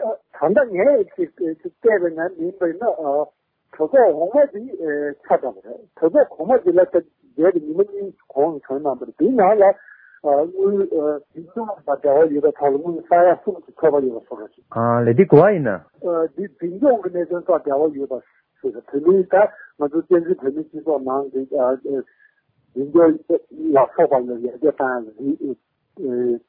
ལྟ་ངས་ཅིག་ཅིག་བལྟས་པའི་ནང་ཡིན་པ་ཡིན་ན་གྲོས་ཚོགས་འོག་མ་དེ་ཆགས་ཙམ་རེད། གྲོས་ཚོགས་གོང་མ་དེ་ལ་ད་འདས་པའི་ཉི་མ་གཉིས་གོང་ལ་བྱུང་གནང་པ་རེད། དེའི་ནང་ལ་དངུལ་འཛིན་སྐྱོང་དང་འབྲེལ་བ་ཡོད་པའི་ཐོག་ལ་དངུལ་ས་ཡ་གསུམ་གྱི་ཚོད་དཔག་ཡོད་པ་སོགས་རེད། ཨ་ལས་འདི་གོ་བ་ཡིན་ན། འདི་འཛིན་སྐྱོང་གི་གནད་དོན་དང་འབྲེལ་བ་ཡོད་པ་ཞིག་རེད། བོད་མིའི་ད་ང་ཚོ་བཙན་འཛུལ་བོད་མིའི་སྤྱི་ཚོགས་ནང་གི་འཛིན་སྐྱོང་ལ་སོགས་པ་ལ་ཡར་རྒྱས་བཏང་ཡ་ལ་འདི།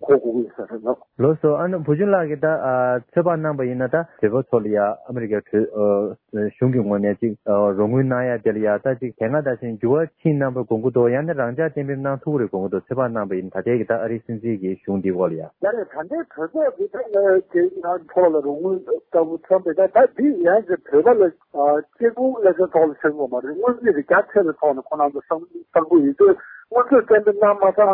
གོ་དགོས་ཀྱི་ཡོད་ས་རེད་ལ། ལགས་སོ། ཨ་ནི་བུ་ཆུང་ལགས་ཀྱིས་ད་ཨ་ཚོད་དཔག་གནང་པ་ཡིན་ན། ད་བོད་པ་ཚོ་ལ་ཡ་ཨ་མི་རི་ཀའི་གྲོས་ཨ་གཞུང་གི་ངོས་ནས་ཅིག་ཨ་རོགས་དངུལ་གནང་ཡ་དེ་ལ་ཡ་ད་ཅིག་དེ་སྔ་ད་བཞིན་འགྱུར་བ་ཕྱིན་གནང་པ་དགོངས་ཀྱི་འདུག་ཡང་ན་རང་འཇགས་གཏན་འབེབས་གནང་ཐུབ་ཀྱི་རེད་དགོངས་ཀྱི་འདུག་ཚོད་དཔག་གནང་པ་ཡིན་ན། ད་ལྟའི་གི་ད་ཨ་རིའི་སྲིད་འཛིན་གྱི་གཞུང་འདིའི་སྐོར་ལ་ཡ། ད་རེས་ད་ལྟའི་གྲོས་ཚོགས་འདི་ད་ང་དེ་ང་ཐོག་ལ་རོགས་དངུལ་ལྟ་བུ་ཐོན་པའི་ད་ད་འདི་ཡང་གི་བོད་པ་ལ་ཨ་གཅིག་པུ་ལ་ཚོད་ཐོག་ལ་ཟེར་དགོས་མ་རེད། དངུལ་རྩིས་ཀྱི་རྒྱ་ཆེ་བའི་ཐོག་ནས་ཁོ་རང་ཚོ་བསམ་བསམ་བློ་ཡིན་དུས་དངུལ་ཚོད་གཏན་འབེབས་གནང་མ་ཚར་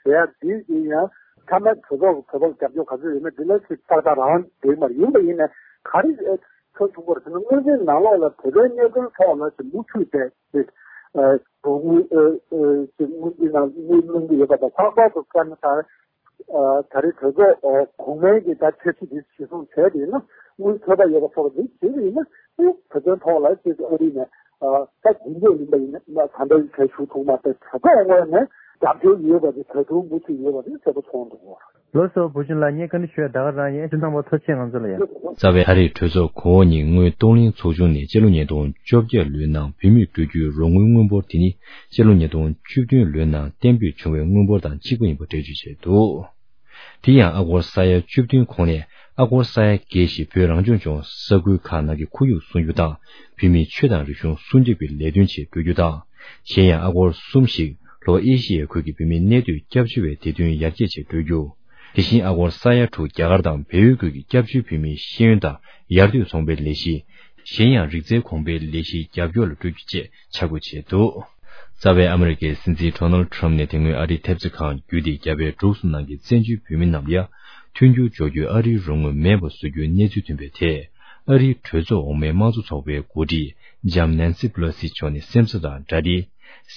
ཟེར་ཡ་འདི་ཡིན་ཡང་། ཐ་ན་གྲོས་ཚོགས་ཀྱི་བོད་པར་རྒྱབ་སྐྱོར་ག་ཚོད་ཡོད་མེད་འདི་ལ་ཅིག་ཏག་ཏག་རང་འགྲིག་མ་རེད། ཡིན་པ་ཡིན་ནའི་ག་རེ་ཐོན་ཐུབ་པ་རེད་ཟེར་ན། དངུལ་རྩིས་ནང་ལོགས་ལ་བོད་པའི་གནས་ཚུལ་ཐོག་ལ་ཅིག་མུ་མཐུད་དེ་ཅིག་རོགས་དངུལ་ཅིག་དངུལ་རྩིས་ནང་དངུལ་གནང་གི་ཡོད་པ་དང་། ལྷག་པར་དུ་བཀའ་མོལ་དང་། ཨ་ད་རེས་གྲོས་ཚོགས་ཨ་གོང་མའི་གི་ད་འཆར་གཞི་དེ་གཞིར་བཟུང་བྱས་ཏེ་ཡིན་ན། དངུལ་ཚོད་དཔག་ཡོད་པ་ཚོ་ལ་འདི་བྱས་པ་ཡིན་ན། ཨེ་བོད་དོན་ཐོག་ལ་ཅིག་ཨ་རི་ནས་ཨ་ད་རྒྱུན་འབྲས་ཡིན་པ་ཡིན་ན་ད་ལྟ་གལ་ཞུ་ཐུབ་མ་ཐག་གྲོས་ཚོགས་ངོས་ནས་རྒྱབ་སྐྱོར་ཡོད་པ་དེ་ད་དུང་མུ་མཐུད་ཡོད་པ་དེ་གསལ་པོ་མཐོང་འདུག་ལགས་སོ། བུ་ཆུང་ལགས། ངས་བཀའ་འདྲི་ཞུ་ཡ་ད་ག་རང་ཡིན། སྤྱིར་བཏང་པ་ཐུགས་རྗེ་ཆེ། ང་ཚོ་ལ་ཡ། རྩ་བའི་ཨ་རིའི་གྲོས་ཚོགས་གོང་འོག་གཉིས་དངུལ་གཏོང་ལེན་ཚོགས་ཆུང་ནས་སྤྱི་ལོ་ཉིས་སྟོང་བཅོ་བརྒྱད་ལོའི་ནང་བོད་མིས་སྤྲོད་རྒྱུའི་རོགས་དངུལ་དངུལ་འབོར་དེ་ནི་སྤྱི་ལོ་ཉིས་སྟོང་བཅུ་བདུན་ལོའི་ནང་གཏན་འབེབས་བྱུང་བའི་དངུལ་འབོར་དང་གཅིག་པ་ཡིན་པ་འགྲེལ་བརྗོད་བྱས་འདུག་དེ་ཡང་ཨ་སྒོར་ས་ཡ་བཅུ་བདུན་གོང་ནས་ཨ་སྒོར་ས་ཡ་བརྒྱད་བཞི་བོད་རང་སྐྱོང་ལྗོངས་ས་ཁུལ་ཁག་ནང་གི་ཁོར་ཡུག་སྲུང་སྐྱོབ་དང་བོད་མིའི་ཆོས་དང་རིག་གཞུང་སྲུང་སྐྱོབ་ཀྱི་ལས་དོན་ཆེད་སྤྲོད་རྒྱུ་དང་། གཞན་ཡང་ཨ་སྒོར་གསུམ་ཞིག་ལྷོ་ཨེ་ཤི་ཡའི་ཁུལ་གྱི་བོད་མིའི་གནས་སྡོད་སྐྱབས་བཅོལ་བའི་བདེ་དོན་ཡར་རྒྱས་ཆེད་སྤྲོད་རྒྱུ། དེ་བཞིན་ཨ་སྒོར་ས་ཡ་དྲུག་རྒྱ་གར་དང་བལ་ཡུལ་ཁུལ་གྱི་སྐྱབས་བཅོལ་བོད་མིའི་ཤེས་ཡོན་དང་ཡར་ཐོན་ཚོང་པའི་ལས་གཞི། གཞན་ཡང་རིག་རྩལ་གོང་འཕེལ་ལས་གཞིའི་རྒྱབ་སྐྱོར་ལ་སྤྲོད་རྒྱུ་བཅས་ཆ་བགོས་བྱས་འདུག་རྩ་བའི་ཨ་མི་རི་ཀའི་སྲིད་འཛིན་ཌོ་ནལ་ཌི་ཊརམ་ནས་དེ་སྔོན་ཨ་རིའི་ཐེབས་རྩ་ཁང་བརྒྱུད་དེ་རྒྱ་བལ་འབྲུག་གསུམ་ནང་གི་བཙན་བྱོལ་བོད་མི་རྣམས་ལ་ཡ་མཐུན་འགྱུར་སྦྱོར་རྒྱུའི་ཨ་རིའི་རོགས་དངུལ་མེད་པ་བཟོ་རྒྱུའི་གནས་ཚུལ་ཐོན་པའི་ཐད། ཨ་རིའི་གྲོས་ཚོགས་འོག་མའི་དམངས་གཙོ་ཚོགས་པའི་འགོ་ཁྲིད་ལྕམ་ནན་སི་པེ་ལོ་སི་མཆོག་ནས་སེམས་འཚབ་དང་འདྲ་སྟེ།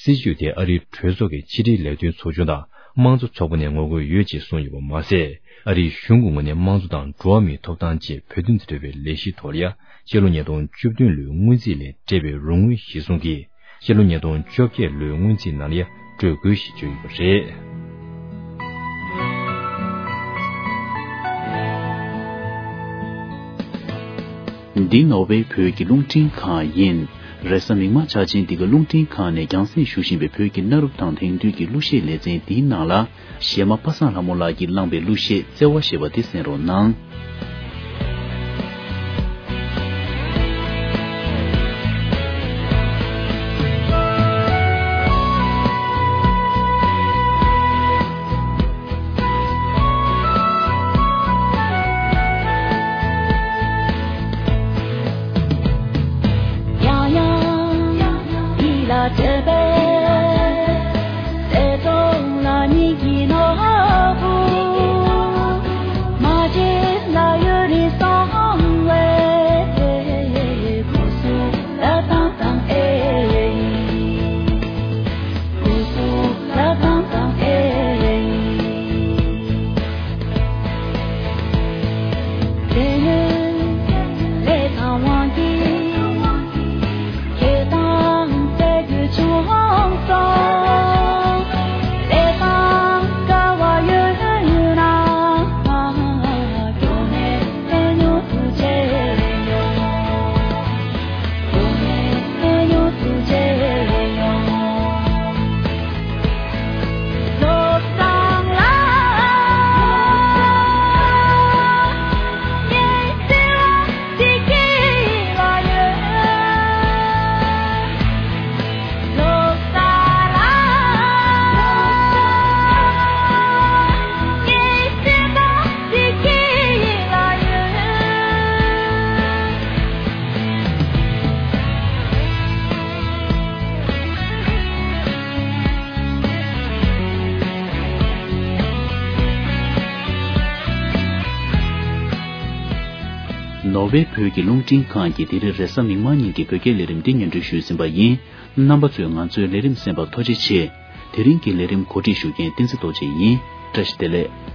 སྲིད་བྱུས་དེ་ཨ་རིའི་གྲོས་ཚོགས་ཀྱི་ཕྱི་དྲིལ་ལས་དོན་ཚོགས་ཆུང་དང་དམངས་གཙོ་ཚོགས་པ་ནས་ངོ་རྒོལ་ཡོད་ཅེས་གསུངས་ཡོད་པ་མ་ཟད། ཨ་རིའི་གཞུང་གི་ངོས་ནས་དམངས་གཙོ་དང་འགྲོ་བ་མིའི་ཐོབ་ཐང་བཅས་བོད་དོན་དང་འབྲེལ་བའི་ལས་གཞི་ཐོག་ལ་ཡ་སྤྱི་ལོ་ཉིས་སྟོང་བཅུ་བདུན་ལོའི་སྔོན་རྩིས་ལས་སྤྲད་པའི་རོགས་དངུལ་གཞིར་བཟུང་གིས་སྤྱི་ལོ་ཉིས་སྟོང་བཅོ་བརྒྱད་ལོའི་སྔོན་རྩིས་ནང་ལ་ཡ་སྤྲོད་དགོས་ཞེས་བརྗོད་ཡོད་པ་རེད། འདི་ནོར་ཝེ་བོད་ཀྱི་རླུང་འཕྲིན་ཁང་ཡིན། རེས་གཟའ་མིག་དམར་འཆར་ཅན་འདི་ག་རླུང་འཕྲིན་ཁང་ནས་རྒྱང་སྲིང་ཞུ་བཞིན་པའི་བོད་ཀྱི་གནའ་རབས་དང་དེང་དུས་ཀྱི་གླུ་གཞས་ལེ་ཚན་འདིའི་ནང་ལ། གཞས་མ་པ་སངས་ལྷ་མོ་ལགས་ཀྱིས་བླངས་པའི་གླུ་གཞས་བརྩེ་བ་ཞེས་པ་འདི་གསན་རོགས་གནང་། ནོར་ཝེ་བོད་ཀྱི་རླུང་འཕྲིན་ཁང་གིས་དེ་རིང་རེས་གཟའ་མིག་དམར་ཉིན་གྱི་བོད་སྐད་ལས་རིམ་འདི་སྙན་སྒྲོན་ཞུས་ཟིན་པ་ཡིན། རྣམ་པ་ཚོས་ང་ཚོའི་ལས་རིམ་གསན་པར་ཐུགས་རྗེ་ཆེ། དེ་རིང་གི་ལས་རིམ་གོ་སྒྲིག་ཞུ་མཁན་བསྟན་འཛིན་རྡོ་རྗེ་ཡིན། བཀྲ་ཤིས་བདེ་ལེགས།